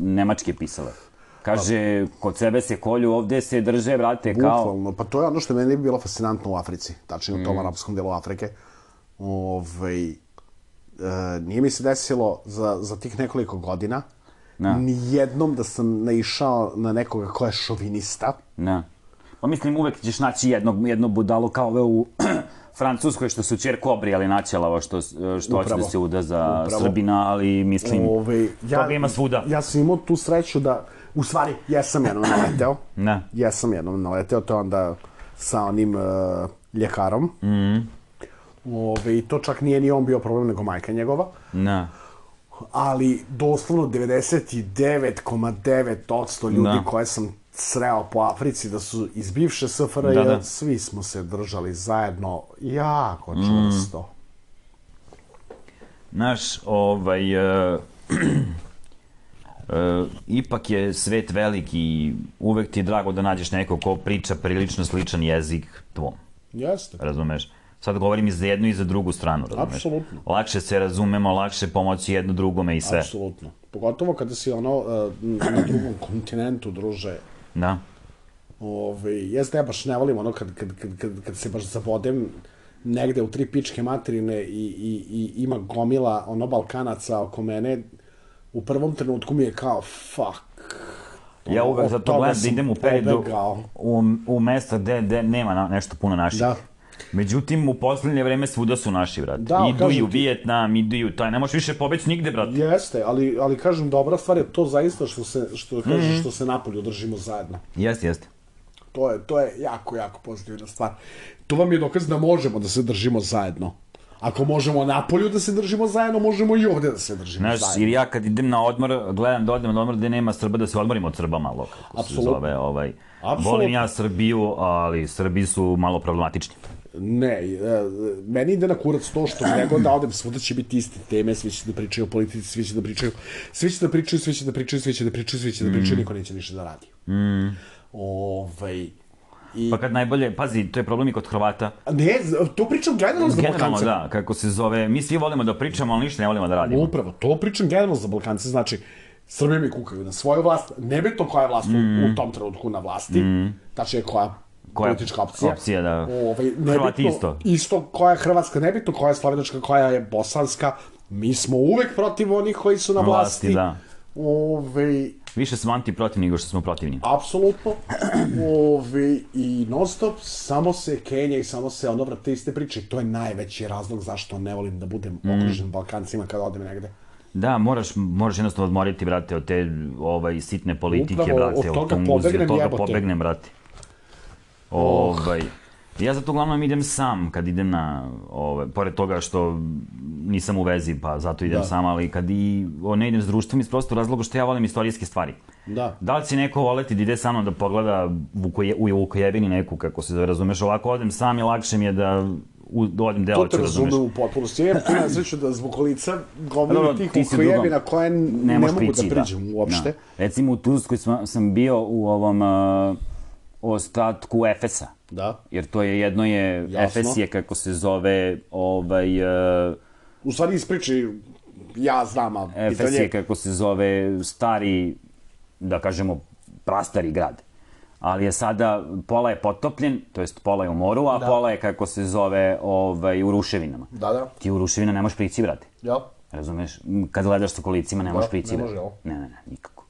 nemačke pisale. Kaže, kod sebe se kolju, ovde se drže, brate, kao... Bukvalno, pa to je ono što meni bi bilo fascinantno u Africi, tačnije u tom mm. arapskom delu Afrike. Ovej... Uh, nije mi se desilo za, za tih nekoliko godina no. ni jednom da sam naišao na nekoga ko je šovinista. No. Pa mislim, uvek ćeš naći jednog, jedno budalo kao ove u Francuskoj što su čerku obrijali načelavo što, što hoće da se uda za Upravo. Srbina, ali mislim, Ove, ja, toga ima svuda. Ja sam imao tu sreću da, u stvari, jesam jednom naleteo. Ne. Jesam jednom naleteo, to je onda sa onim uh, ljekarom. Mhm. Ove, i to čak nije ni on bio problem, nego majka njegova. Ne. Ali doslovno devedeset devet zarez devet posto ljudi da. koje sam sreo po Africi da su iz bivše S F R J, da, da. svi smo se držali zajedno jako čvrsto. Mm. Znaš, ovaj... Uh, uh, ipak je svet velik i uvek ti je drago da nađeš neko ko priča prilično sličan jezik tvom. Jeste. Razumeš? Sad govorim i za jednu i za drugu stranu, razumeš? Apsolutno. Lakše se razumemo, lakše pomoći jedno drugome i sve. Apsolutno. Pogotovo kada si ono na drugom kontinentu, druže. Da. Ove, jeste, ja baš ne volim ono kad, kad, kad, kad, kad se baš zabodem negde u tri pičke materine i, i, i ima gomila ono Balkanaca oko mene, u prvom trenutku mi je kao fuck. Ja uvek zato gledam da idem u periodu u, u mesta gde, gde nema na, nešto puno naših. Da. Međutim, u poslednje vreme svuda su naši, brate. Da, idu i u Vijetnam, idu i u taj, ne možeš više pobeći nigde, brate. Jeste, ali, ali kažem, dobra stvar je to zaista što se, što, kažem, mm. što se napolju držimo zajedno. Jeste, jeste. To je, to je jako, jako pozitivna stvar. To vam je dokaz da možemo da se držimo zajedno. Ako možemo napolju da se držimo zajedno, možemo i ovde da se držimo Znaš, zajedno. Jer ja kad idem na odmor, gledam da odem na odmor gde nema Srba, da se odmorim od Srba malo, kako se zove. Ovaj. Volim ja Srbiju, ali Srbi su malo problematični. Ne, meni ide na kurac to što gde god da odem, svuda će biti iste teme, svi će da pričaju o politici, svi će da pričaju, svi će da pričaju, svi će da pričaju, svi će da pričaju, svi će da pričaju, niko neće ništa da radi. Mm. Ovaj... I... Pa kad najbolje, pazi, to je problem i kod Hrvata. Ne, to pričam generalno za Balkance. Generalno, da, kako se zove, mi svi volimo da pričamo, ali ništa ne volimo da radimo. Upravo, to pričam generalno za Balkance, znači, Srbi mi kukaju na svoju vlast, nebitno koja je vlast mm. u tom trenutku na vlasti, mm. tačnije koja koja politička opcija. opcija da. Ovaj, Hrvati isto. Isto koja je hrvatska, nebitno koja je slovenačka, koja je bosanska, mi smo uvek protiv onih koji su na vlasti. Vlasti, da. Ove... Više smo antiprotivni nego što smo protivni. Apsolutno. Ove... I non stop, samo se Kenja i samo se ono vrate iste priče. To je najveći razlog zašto ne volim da budem mm. okružen Balkancima kada odem negde. Da, moraš, moraš jednostavno odmoriti, brate, od te ovaj, sitne politike, upravo, brate, od toga od pobegnem, od toga jebote. pobegnem, brate. Ovaj... Ja zato uglavnom idem sam kad idem na, ove, pored toga što nisam u vezi, pa zato idem da. sam, ali kad i o, ne idem s društvom iz prostog razloga što ja volim istorijske stvari. Da. Da li će neko voleti da ide sa mnom da pogleda Vukoje, u Vukojevini neku, kako se razumeš, ovako odem sam i lakše mi je da u, odem deo ću, razumeš. To te razumem u potpunosti. Ja tu ne sreću da zbog lica gomili tih Vukojevina koje ne, ne mogu prići, da priđem da. uopšte. Da. Recimo u Turskoj sam, sam bio u ovom uh, ostatku Efesa. Da. Jer to je jedno je Jasno. Efes je kako se zove ovaj uh, u stvari ispriči ja znam a Efes je kako se zove stari da kažemo prastari grad. Ali je sada pola je potopljen, to jest pola je u moru, a da. pola je kako se zove ovaj u ruševinama. Da, da. Ti u ruševina ne možeš prići, brate. Ja. Razumeš? Kad gledaš sa kolicima ne da, možeš prići. Ne može, ne, ne, ne, nikako.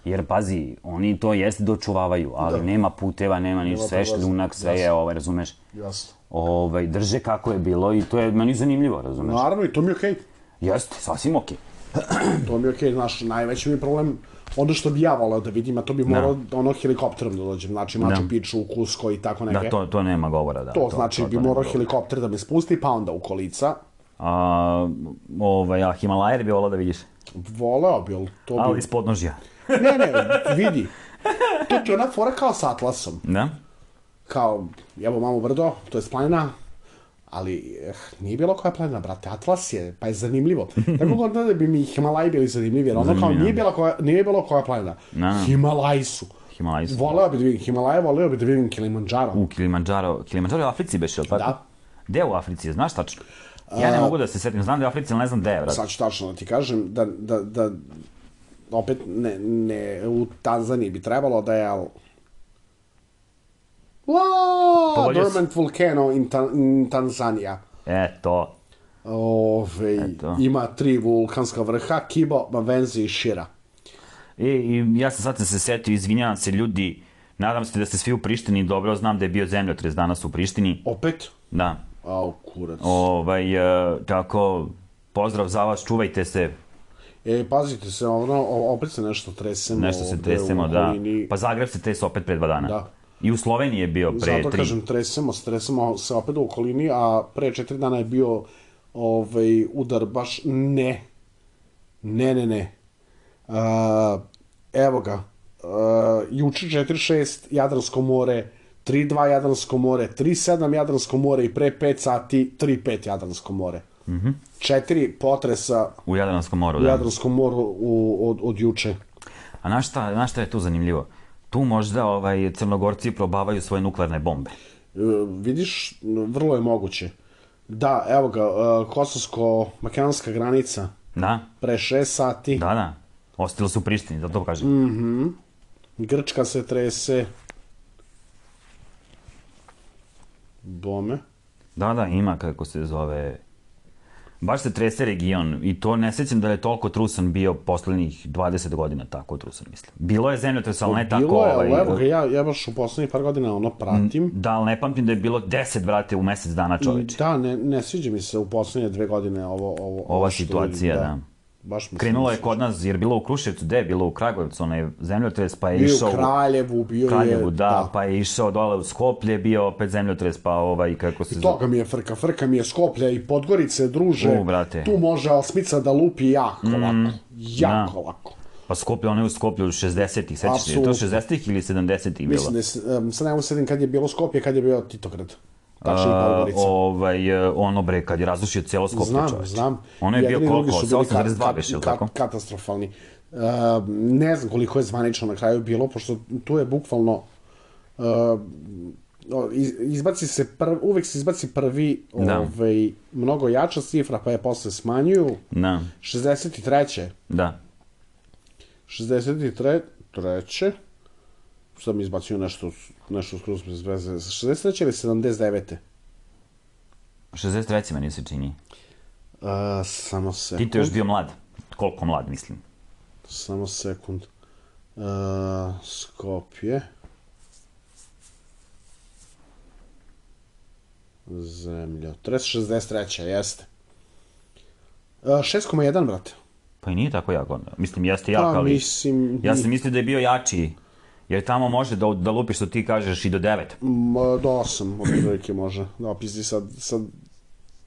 Jer, pazi, oni to jeste dočuvavaju, ali da. nema puteva, nema ništa, sve šljunak, sve je, ovaj, razumeš? Jasno. Ovaj, drže kako je bilo i to je meni zanimljivo, razumeš? Naravno, i to mi je okej. Okay. Jeste, sasvim okej. Okay. To mi je okej, okay. Znaš, najveći mi problem, ono što bi ja volao da vidim, a to bi morao da. ono helikopterom da dođem, znači Machu Picchu, u Cusco i tako neke. Da, to, to nema govora, da. To, to znači to, to, bi morao helikopter da me spusti, pa onda u kolica. A, ovaj, a Himalajer bi volao da vidiš? Voleo bi, ali to bi... Ali iz podnožja. Ne, ne, vidi. To ti je ona fora kao s Atlasom. Da? Kao, evo mamo brdo, to je planina, ali eh, nije bilo koja planina, brate, Atlas je, pa je zanimljivo. Tako god da bi mi Himalaji bili zanimljivi, jer ono kao nije bilo koja, nije bilo koja planina. Na. Himalaji su. Himalaji su. Voleo bi da vidim Himalaje, voleo bi da vidim Kilimandžaro. U Kilimandžaro, Kilimandžaro je u Africi beš, ili tako? Da. Gde u Africi, znaš tačno? Ja ne mogu da se setim, znam da je u Africi, ali ne znam gde je, brate. Sad ću tačno da ti kažem, da, da, da opet ne, ne, u Tanzaniji bi trebalo da je, ali... Wow, Dormant Volcano in, ta, in Tanzania. Eto. Ove, Eto. Ima tri vulkanska vrha, Kibo, Mavenzi i Shira. I, i ja sam sad sam se setio, izvinjavam se ljudi, nadam se da ste svi u Prištini, dobro znam da je bio zemljotres danas u Prištini. Opet? Da. Au, kurac. Ovaj, uh, tako, pozdrav za vas, čuvajte se. E, pazite se, ono, opet se nešto tresemo. Nešto se tresemo, da. Pa Zagreb se trese opet pre dva dana. Da. I u Sloveniji je bio pre Zato tri. Zato kažem, tresemo, tresemo se opet u okolini, a pre četiri dana je bio ovaj, udar baš ne. Ne, ne, ne. Uh, evo ga. Uh, juče četiri šest Jadransko more, tri dva Jadransko more, tri sedam Jadransko more i pre pet sati tri pet Jadransko more. Mm-hmm. Četiri potresa u Jadranskom moru, u da. Jadranskom moru u, od, od juče. A znaš šta, znaš šta je tu zanimljivo? Tu možda ovaj, Crnogorci probavaju svoje nuklearne bombe. E, vidiš, vrlo je moguće. Da, evo ga, uh, kosovsko-makedonska granica. Da. Pre šest sati. Da, da. Ostalo su u Prištini, da to kažem. Mhm. Grčka se trese. Bome. Da, da, ima kako se zove... Baš se trese region i to ne sećam da je toliko trusan bio poslednjih dvadeset godina, tako trusan mislim. Bilo je zemljotres, ali ne tako... Bilo je, ali ovaj, evo ga, ja, ja baš u poslednjih par godina ono pratim. Da, ali ne pamtim da je bilo deset, brate, u mesec dana čoveče. Da, ne, ne sviđa mi se u poslednje dve godine ovo... ovo Ova situacija, da. Baš mi Krenulo je kod nas, jer bilo u Kruševcu, gde je bilo u Kragujevcu, onaj zemljotres, pa je bio išao... Bio u Kraljevu, bio Kraljevu, je... da, da, pa je išao dole u Skoplje, bio opet zemljotres, pa ovaj, kako se... I toga mi je frka, frka mi je Skoplja i Podgorice, druže. U, brate. Tu može Alsmica da lupi jako mm, lako, jako da. lako. Pa Skoplje, ono je u Skoplju u šezdesetih, sećaš se, je to šezdesetih ili sedamdesetih bilo? Mislim da je, um, sad ne usedim kad je bilo Skoplje, kad je bio Titograd. Tačni Podgorica. Ovaj, ono bre, kad je razrušio cijelo Skoplje, znam, čoveč. Znam, Ono je bio koliko, osam zarez dva kat, biše, ili kat, tako? Katastrofalni. Uh, ne znam koliko je zvanično na kraju bilo, pošto tu je bukvalno... Uh, izbaci se prv, uvek se izbaci prvi da. ovaj, mnogo jača cifra, pa je posle smanjuju. Da. šezdeset treće Da. šezdeset treće Sad mi izbacio nešto, nešto skroz bez veze. šezdeset treće ili sedamdeset devete šezdeset treće meni se čini. Uh, samo sekund. Tito je još bio mlad. Koliko mlad, mislim? Samo sekund. Uh, Skopje. Zemljotres, šezdeset treće jeste. Uh, šest zarez jedan, brate. Pa i nije tako jako. Mislim, jeste jak, pa, ali... Mislim... Ja sam mislio da je bio jači. Jer tamo može da, da lupiš, što ti kažeš, i do devet. Ma, do osam, od prilike može. Da opisti sad, sad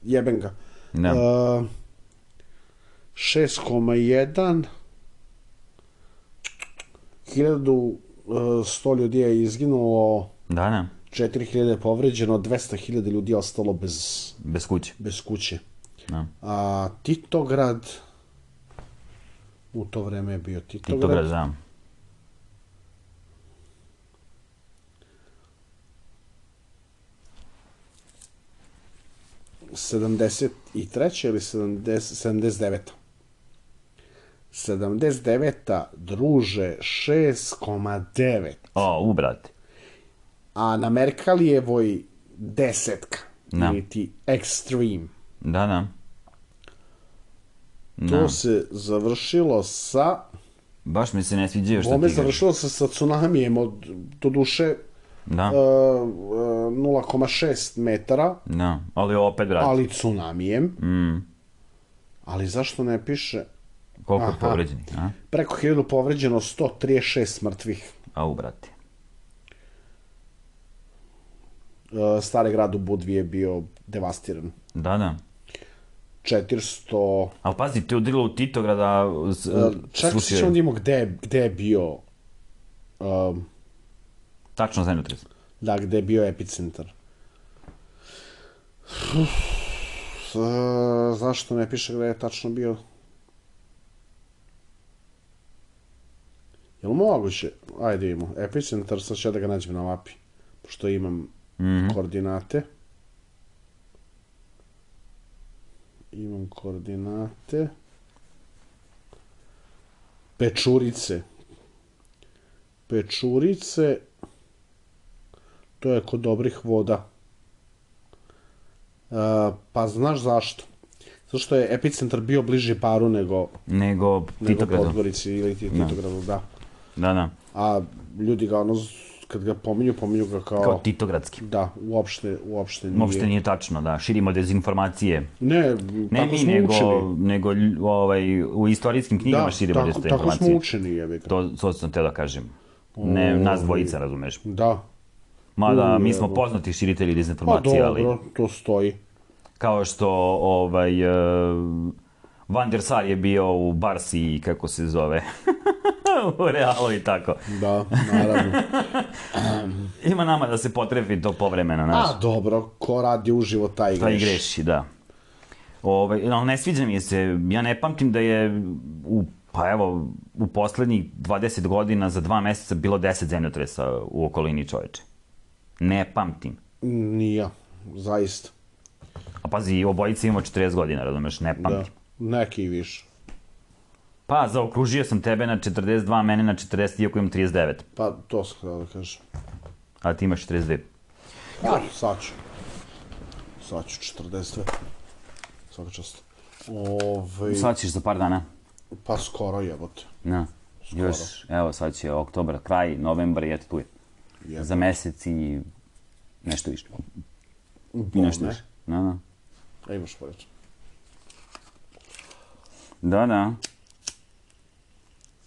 jebem ga. Da. Uh, šest zarez jedan hiljadu sto ljudi je izginulo. Da, da. četiri hiljade je povređeno, dvesta hiljada ljudi je ostalo bez... Bez kuće. Bez kuće. Da. A Titograd... U to vreme je bio Titograd. Titograd, da. sedamdeset treće ili sedamdeset deveta sedamdeset deveta druže, šest zarez devet. O, u, brate. A na Merkalijevoj desetka. Da. Ili ti Extreme. Da, da. To da. Se završilo sa... Baš mi se ne sviđaju što ti Bome kažeš. završilo se sa tsunamijem od, do duše, da. uh, nula zarez šest metara. Da, ali opet, brate. Ali tsunamijem. Mm. Ali zašto ne piše... Koliko je povređeni, a? Preko hiljadu povređeno, sto trideset šest mrtvih. Au, brate. Uh, stari grad u Budvi je bio devastiran. Da, da. četiristo... Ali pazi, te udrilo u Titograda... Uh, čak se ćemo da imamo gde, gde je bio... Um, Tačno zemljotres. Da, gde je bio epicentar. Uh, zašto ne piše gde je tačno bio? Je li moguće? Ajde imamo. Epicentar, sad ću da ga nađem na mapi. Pošto imam mm-hmm. koordinate. Imam koordinate. Pečurice. Pečurice. To je kod dobrih voda. Uh, pa znaš zašto? Zato što je epicentar bio bliži Baru nego... Nego Titogradu. Nego Podgorici ili Titogradu, da. Da, da. A ljudi ga ono, kad ga pominju, pominju ga kao... Kao Titogradski. Da, uopšte, uopšte nije... Uopšte nije tačno, da. Širimo dezinformacije. Ne, ne tako mi, smo nego, učeni. Nego ovaj, u istorijskim knjigama da, širimo tako, dezinformacije. Da, tako smo učeni, jebi ga. To, to sam te da kažem. Ne, o, nas dvojica, razumeš. Da. Mada, U, mi smo poznati širitelji dezinformacije, ali... Pa dobro, to stoji. Kao što ovaj, uh, Van der Sar je bio u Barsi, kako se zove, u Realu i tako. Da, naravno. um, Ima nama da se potrefi to povremeno, znaš. A, dobro, ko radi uživo, taj greši. Taj greši, da. Ovaj, ali ne sviđa mi se, ja ne pamtim da je u, pa evo, u poslednjih dvadeset godina za dva meseca bilo deset zemljotresa u okolini, čoveče. Ne pamtim. Nije, zaista. A pazi, obojica imamo četrdeset godina, razumeš, ne pamtim. Da, neki i više. Pa, zaokružio sam tebe na četrdeset dva, mene na četrdeset, iako imam trideset devet. Pa, to sam htio da kažem. A ti imaš četrdeset dve. Ja, sad ću. sad ću četrdeset dve. Svaka čast. Ove... Sad ćeš za par dana. Pa skoro jebote. Na. Još, evo, sad će oktobar, kraj, novembar i eto tu je. Jebate. Za mesec i nešto više. I nešto više. Da, da. A imaš poreći. Da, da.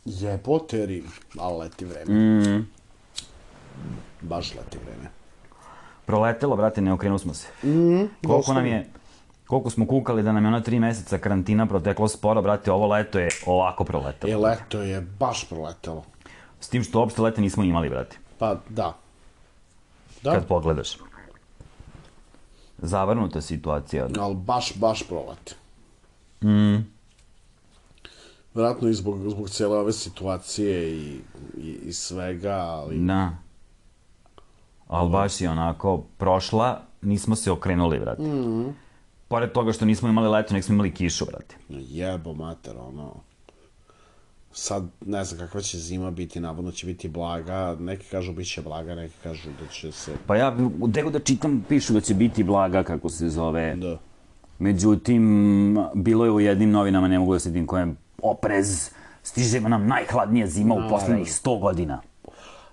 Jebote Rim, ali leti vreme. Mm. Baš leti vreme. Proletelo, brate, ne okrenuli smo se. Mm, koliko nam je, koliko smo kukali da nam je ona tri meseca karantina proteklo sporo, brate, ovo leto je ovako proletelo. E, leto je baš proletelo. S tim što uopšte leta nismo imali, brate. Pa, da. Da. Kad pogledaš. Zavrnuta situacija. Ali baš, baš prolete. Mm. Vjerojatno i zbog, zbog cijele ove situacije i, i, i svega, ali... Da. Ali baš je onako prošla, nismo se okrenuli, brate. Mm. Pored toga što nismo imali leto, nek smo imali kišu, brate. Jebo mater, ono... Sad, ne znam kakva će zima biti, navodno će biti blaga, neki kažu bit će blaga, neki kažu da će se... Pa ja, gdje da čitam, pišu da će biti blaga, kako se zove. Da. Međutim, bilo je u jednim novinama, ne mogu da sedim kojem, oprez, stiže nam najhladnija zima u poslednjih sto godina.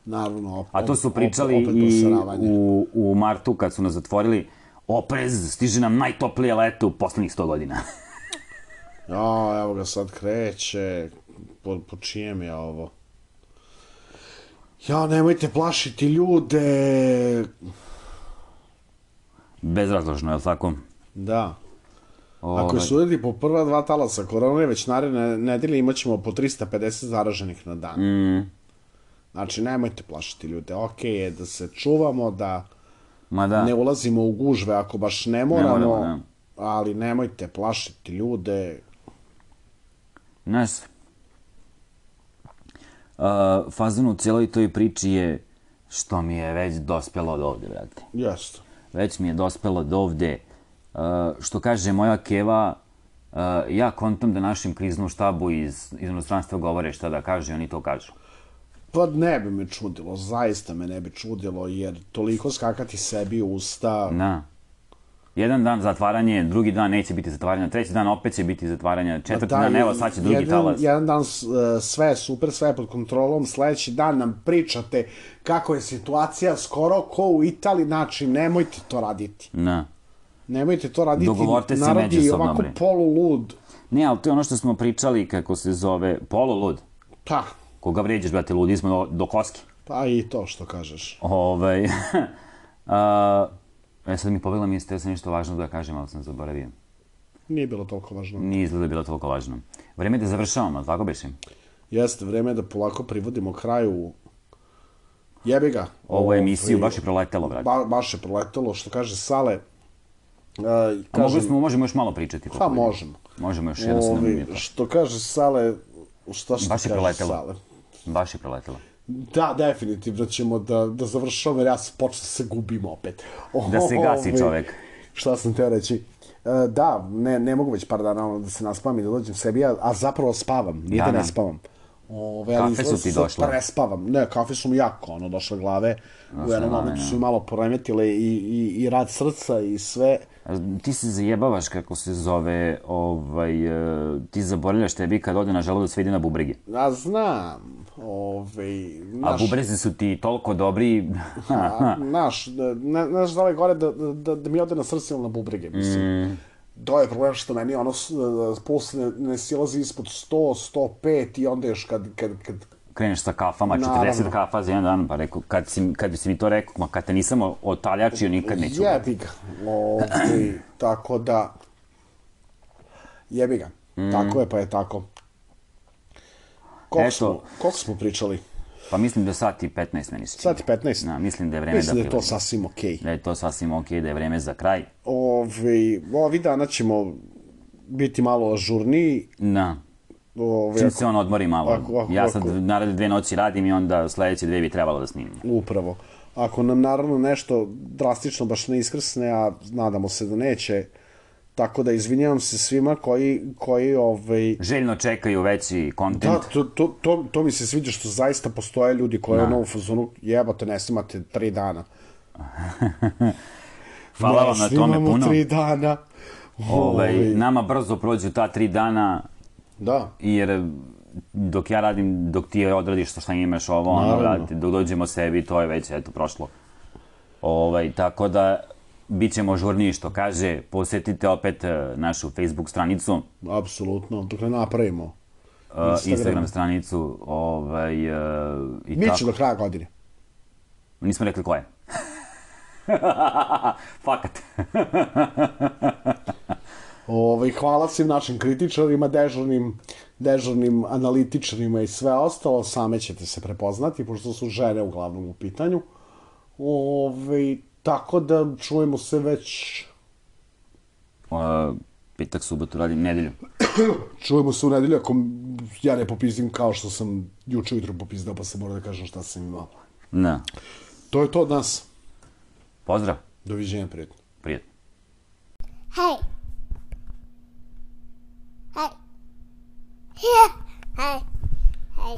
Naravno, opet. A to su pričali i u, u martu kad su nas zatvorili, oprez, stiže nam najtoplije leto u poslednjih sto godina. Ja, evo ga sad kreće, po, po čijem je ovo? Ja, nemojte plašiti ljude. Bezrazložno, je li tako? Da. O, Ako su ljudi po prva dva talasa korone, već naredne nedelje imat ćemo po trista pedeset zaraženih na dan. Mm. Znači, nemojte plašiti ljude. Okej je da se čuvamo, da, Ma da. ne ulazimo u gužve ako baš ne moramo, ne moramo ne. Ali nemojte plašiti ljude. Znaš, uh, fazon u cijeloj toj priči je što mi je već dospelo od ovde, brate. Jeste. Već mi je dospelo od ovde. Uh, što kaže moja keva, uh, ja kontam da našim kriznom štabu iz, iz inostranstva govore šta da kaže, oni to kažu. Pa ne bi me čudilo, zaista me ne bi čudilo, jer toliko skakati sebi u usta... Da. Jedan dan zatvaranje, drugi dan neće biti zatvaranja, treći dan opet će biti zatvaranja, četvrti dan, evo sad će drugi jedan, talas. Jedan dan sve je super, sve je pod kontrolom, sledeći dan nam pričate kako je situacija skoro ko u Italiji, znači nemojte to raditi. Da. Nemojte to raditi, dogovorite se narod je međusobno, ovako bre. polulud. Ne, ali to je ono što smo pričali, kako se zove, polulud. Pa. Koga vređaš, brate, ludi smo do, do koski. Pa i to što kažeš. Ovaj... uh, e, sad mi pobjela mi je, steo sam nešto važno da kažem, ali sam zaboravio. Nije bilo toliko važno. Nije izgleda bilo toliko važno. Vreme je da završavamo, tako beše? Jeste, vreme je da polako privodimo kraju. Jebi ga. Ovu emisiju baš je proletelo, brate. Ba, baš je proletelo, što kaže Sale. Uh, A kažem, smo, možemo još malo pričati. Pa možemo. Možemo još jedno sedam minuta. Što kaže Sale, šta što baš je kaže proletelo. Sale? Baš je proletelo. Da, definitivno ćemo da, da završamo, jer ja se počnem se gubim opet. Da se gasi čovek. Šta sam teo reći? Uh, da, ne, ne mogu već par dana da se naspavam i da dođem sebi, a, a zapravo spavam, nije da ne spavam. Ove, kafe su ti došle? Prespavam. Ne, kafe su mi jako ono, došle glave. U jednom momentu su mi malo poremetile i, i, i rad srca i sve. Ti se zajebavaš, kako se zove, ovaj, ti zaboravljaš tebi kad ode na želudac sve ide na bubrege. Ja znam. Ove, naš... A bubrezi su ti toliko dobri. A, naš, ne, znaš da li gore da, da, da mi ode na srce ili na bubrege, mislim. Mm. To je problem što meni ono puls ne, ne silazi ispod sto, sto pet i onda još kad... kad, kad... kreneš sa kafama, četrdeset kafa za jedan dan, pa rekao, kad, si, kad bi si mi to rekao, ma kad te nisam otaljačio, nikad neću. Jebi ga. Ovdje, tako da... Jebi ga. Mm. Tako je, pa je tako. Koliko, smo, koliko smo pričali? Pa mislim da sat i petnaest meni se čini. Sat i petnaest? Da, mislim da je vreme mislim da... Mislim da je to sasvim okej. Okay. Da je to sasvim okej, okay, da je vreme za kraj. Ove, ovi dana ćemo biti malo ažurniji. Da. Ove, čim ako, se on odmori malo. Ako, ako, ja sad ako, naravno dve noći radim i onda sledeće dve bi trebalo da snimim. Upravo. Ako nam naravno nešto drastično baš ne iskrsne, a nadamo se da neće, tako da izvinjavam se svima koji, koji ovaj... željno čekaju veći kontent. Da, to, to, to, to mi se sviđa što zaista postoje ljudi koji ono u fazonu jebate, ne snimate tri dana. Hvala vam na tome puno. Snimamo tri dana. Ovaj, nama brzo prođu ta tri dana. Da. Jer dok ja radim, dok ti odradiš što šta imaš ovo, ono, radite, dok dođemo sebi, to je već, eto, prošlo. Ovaj, tako da, bit ćemo žurniji, što kaže, posjetite opet našu Facebook stranicu. Apsolutno, dok ne napravimo. Instagram, Instagram stranicu, ovaj, uh, i Biće tako. do kraja godine. Nismo rekli ko je. Fakat. Ovaj, hvala svim našim kritičarima, dežurnim, dežurnim analitičarima i sve ostalo. Same ćete se prepoznati, pošto su žene uglavnom u pitanju. Ovaj, tako da čujemo se već... Uh, petak, subotu, radim nedelju. Čujemo se u nedelju, ako ja ne popizdim kao što sam juče ujutro popizdao, pa se mora da kažem šta sam imao. Da. To je to od nas. Pozdrav. Doviđenja, prijatno. Prijatno. Hey. Hey. Yeah. Hey. Hey.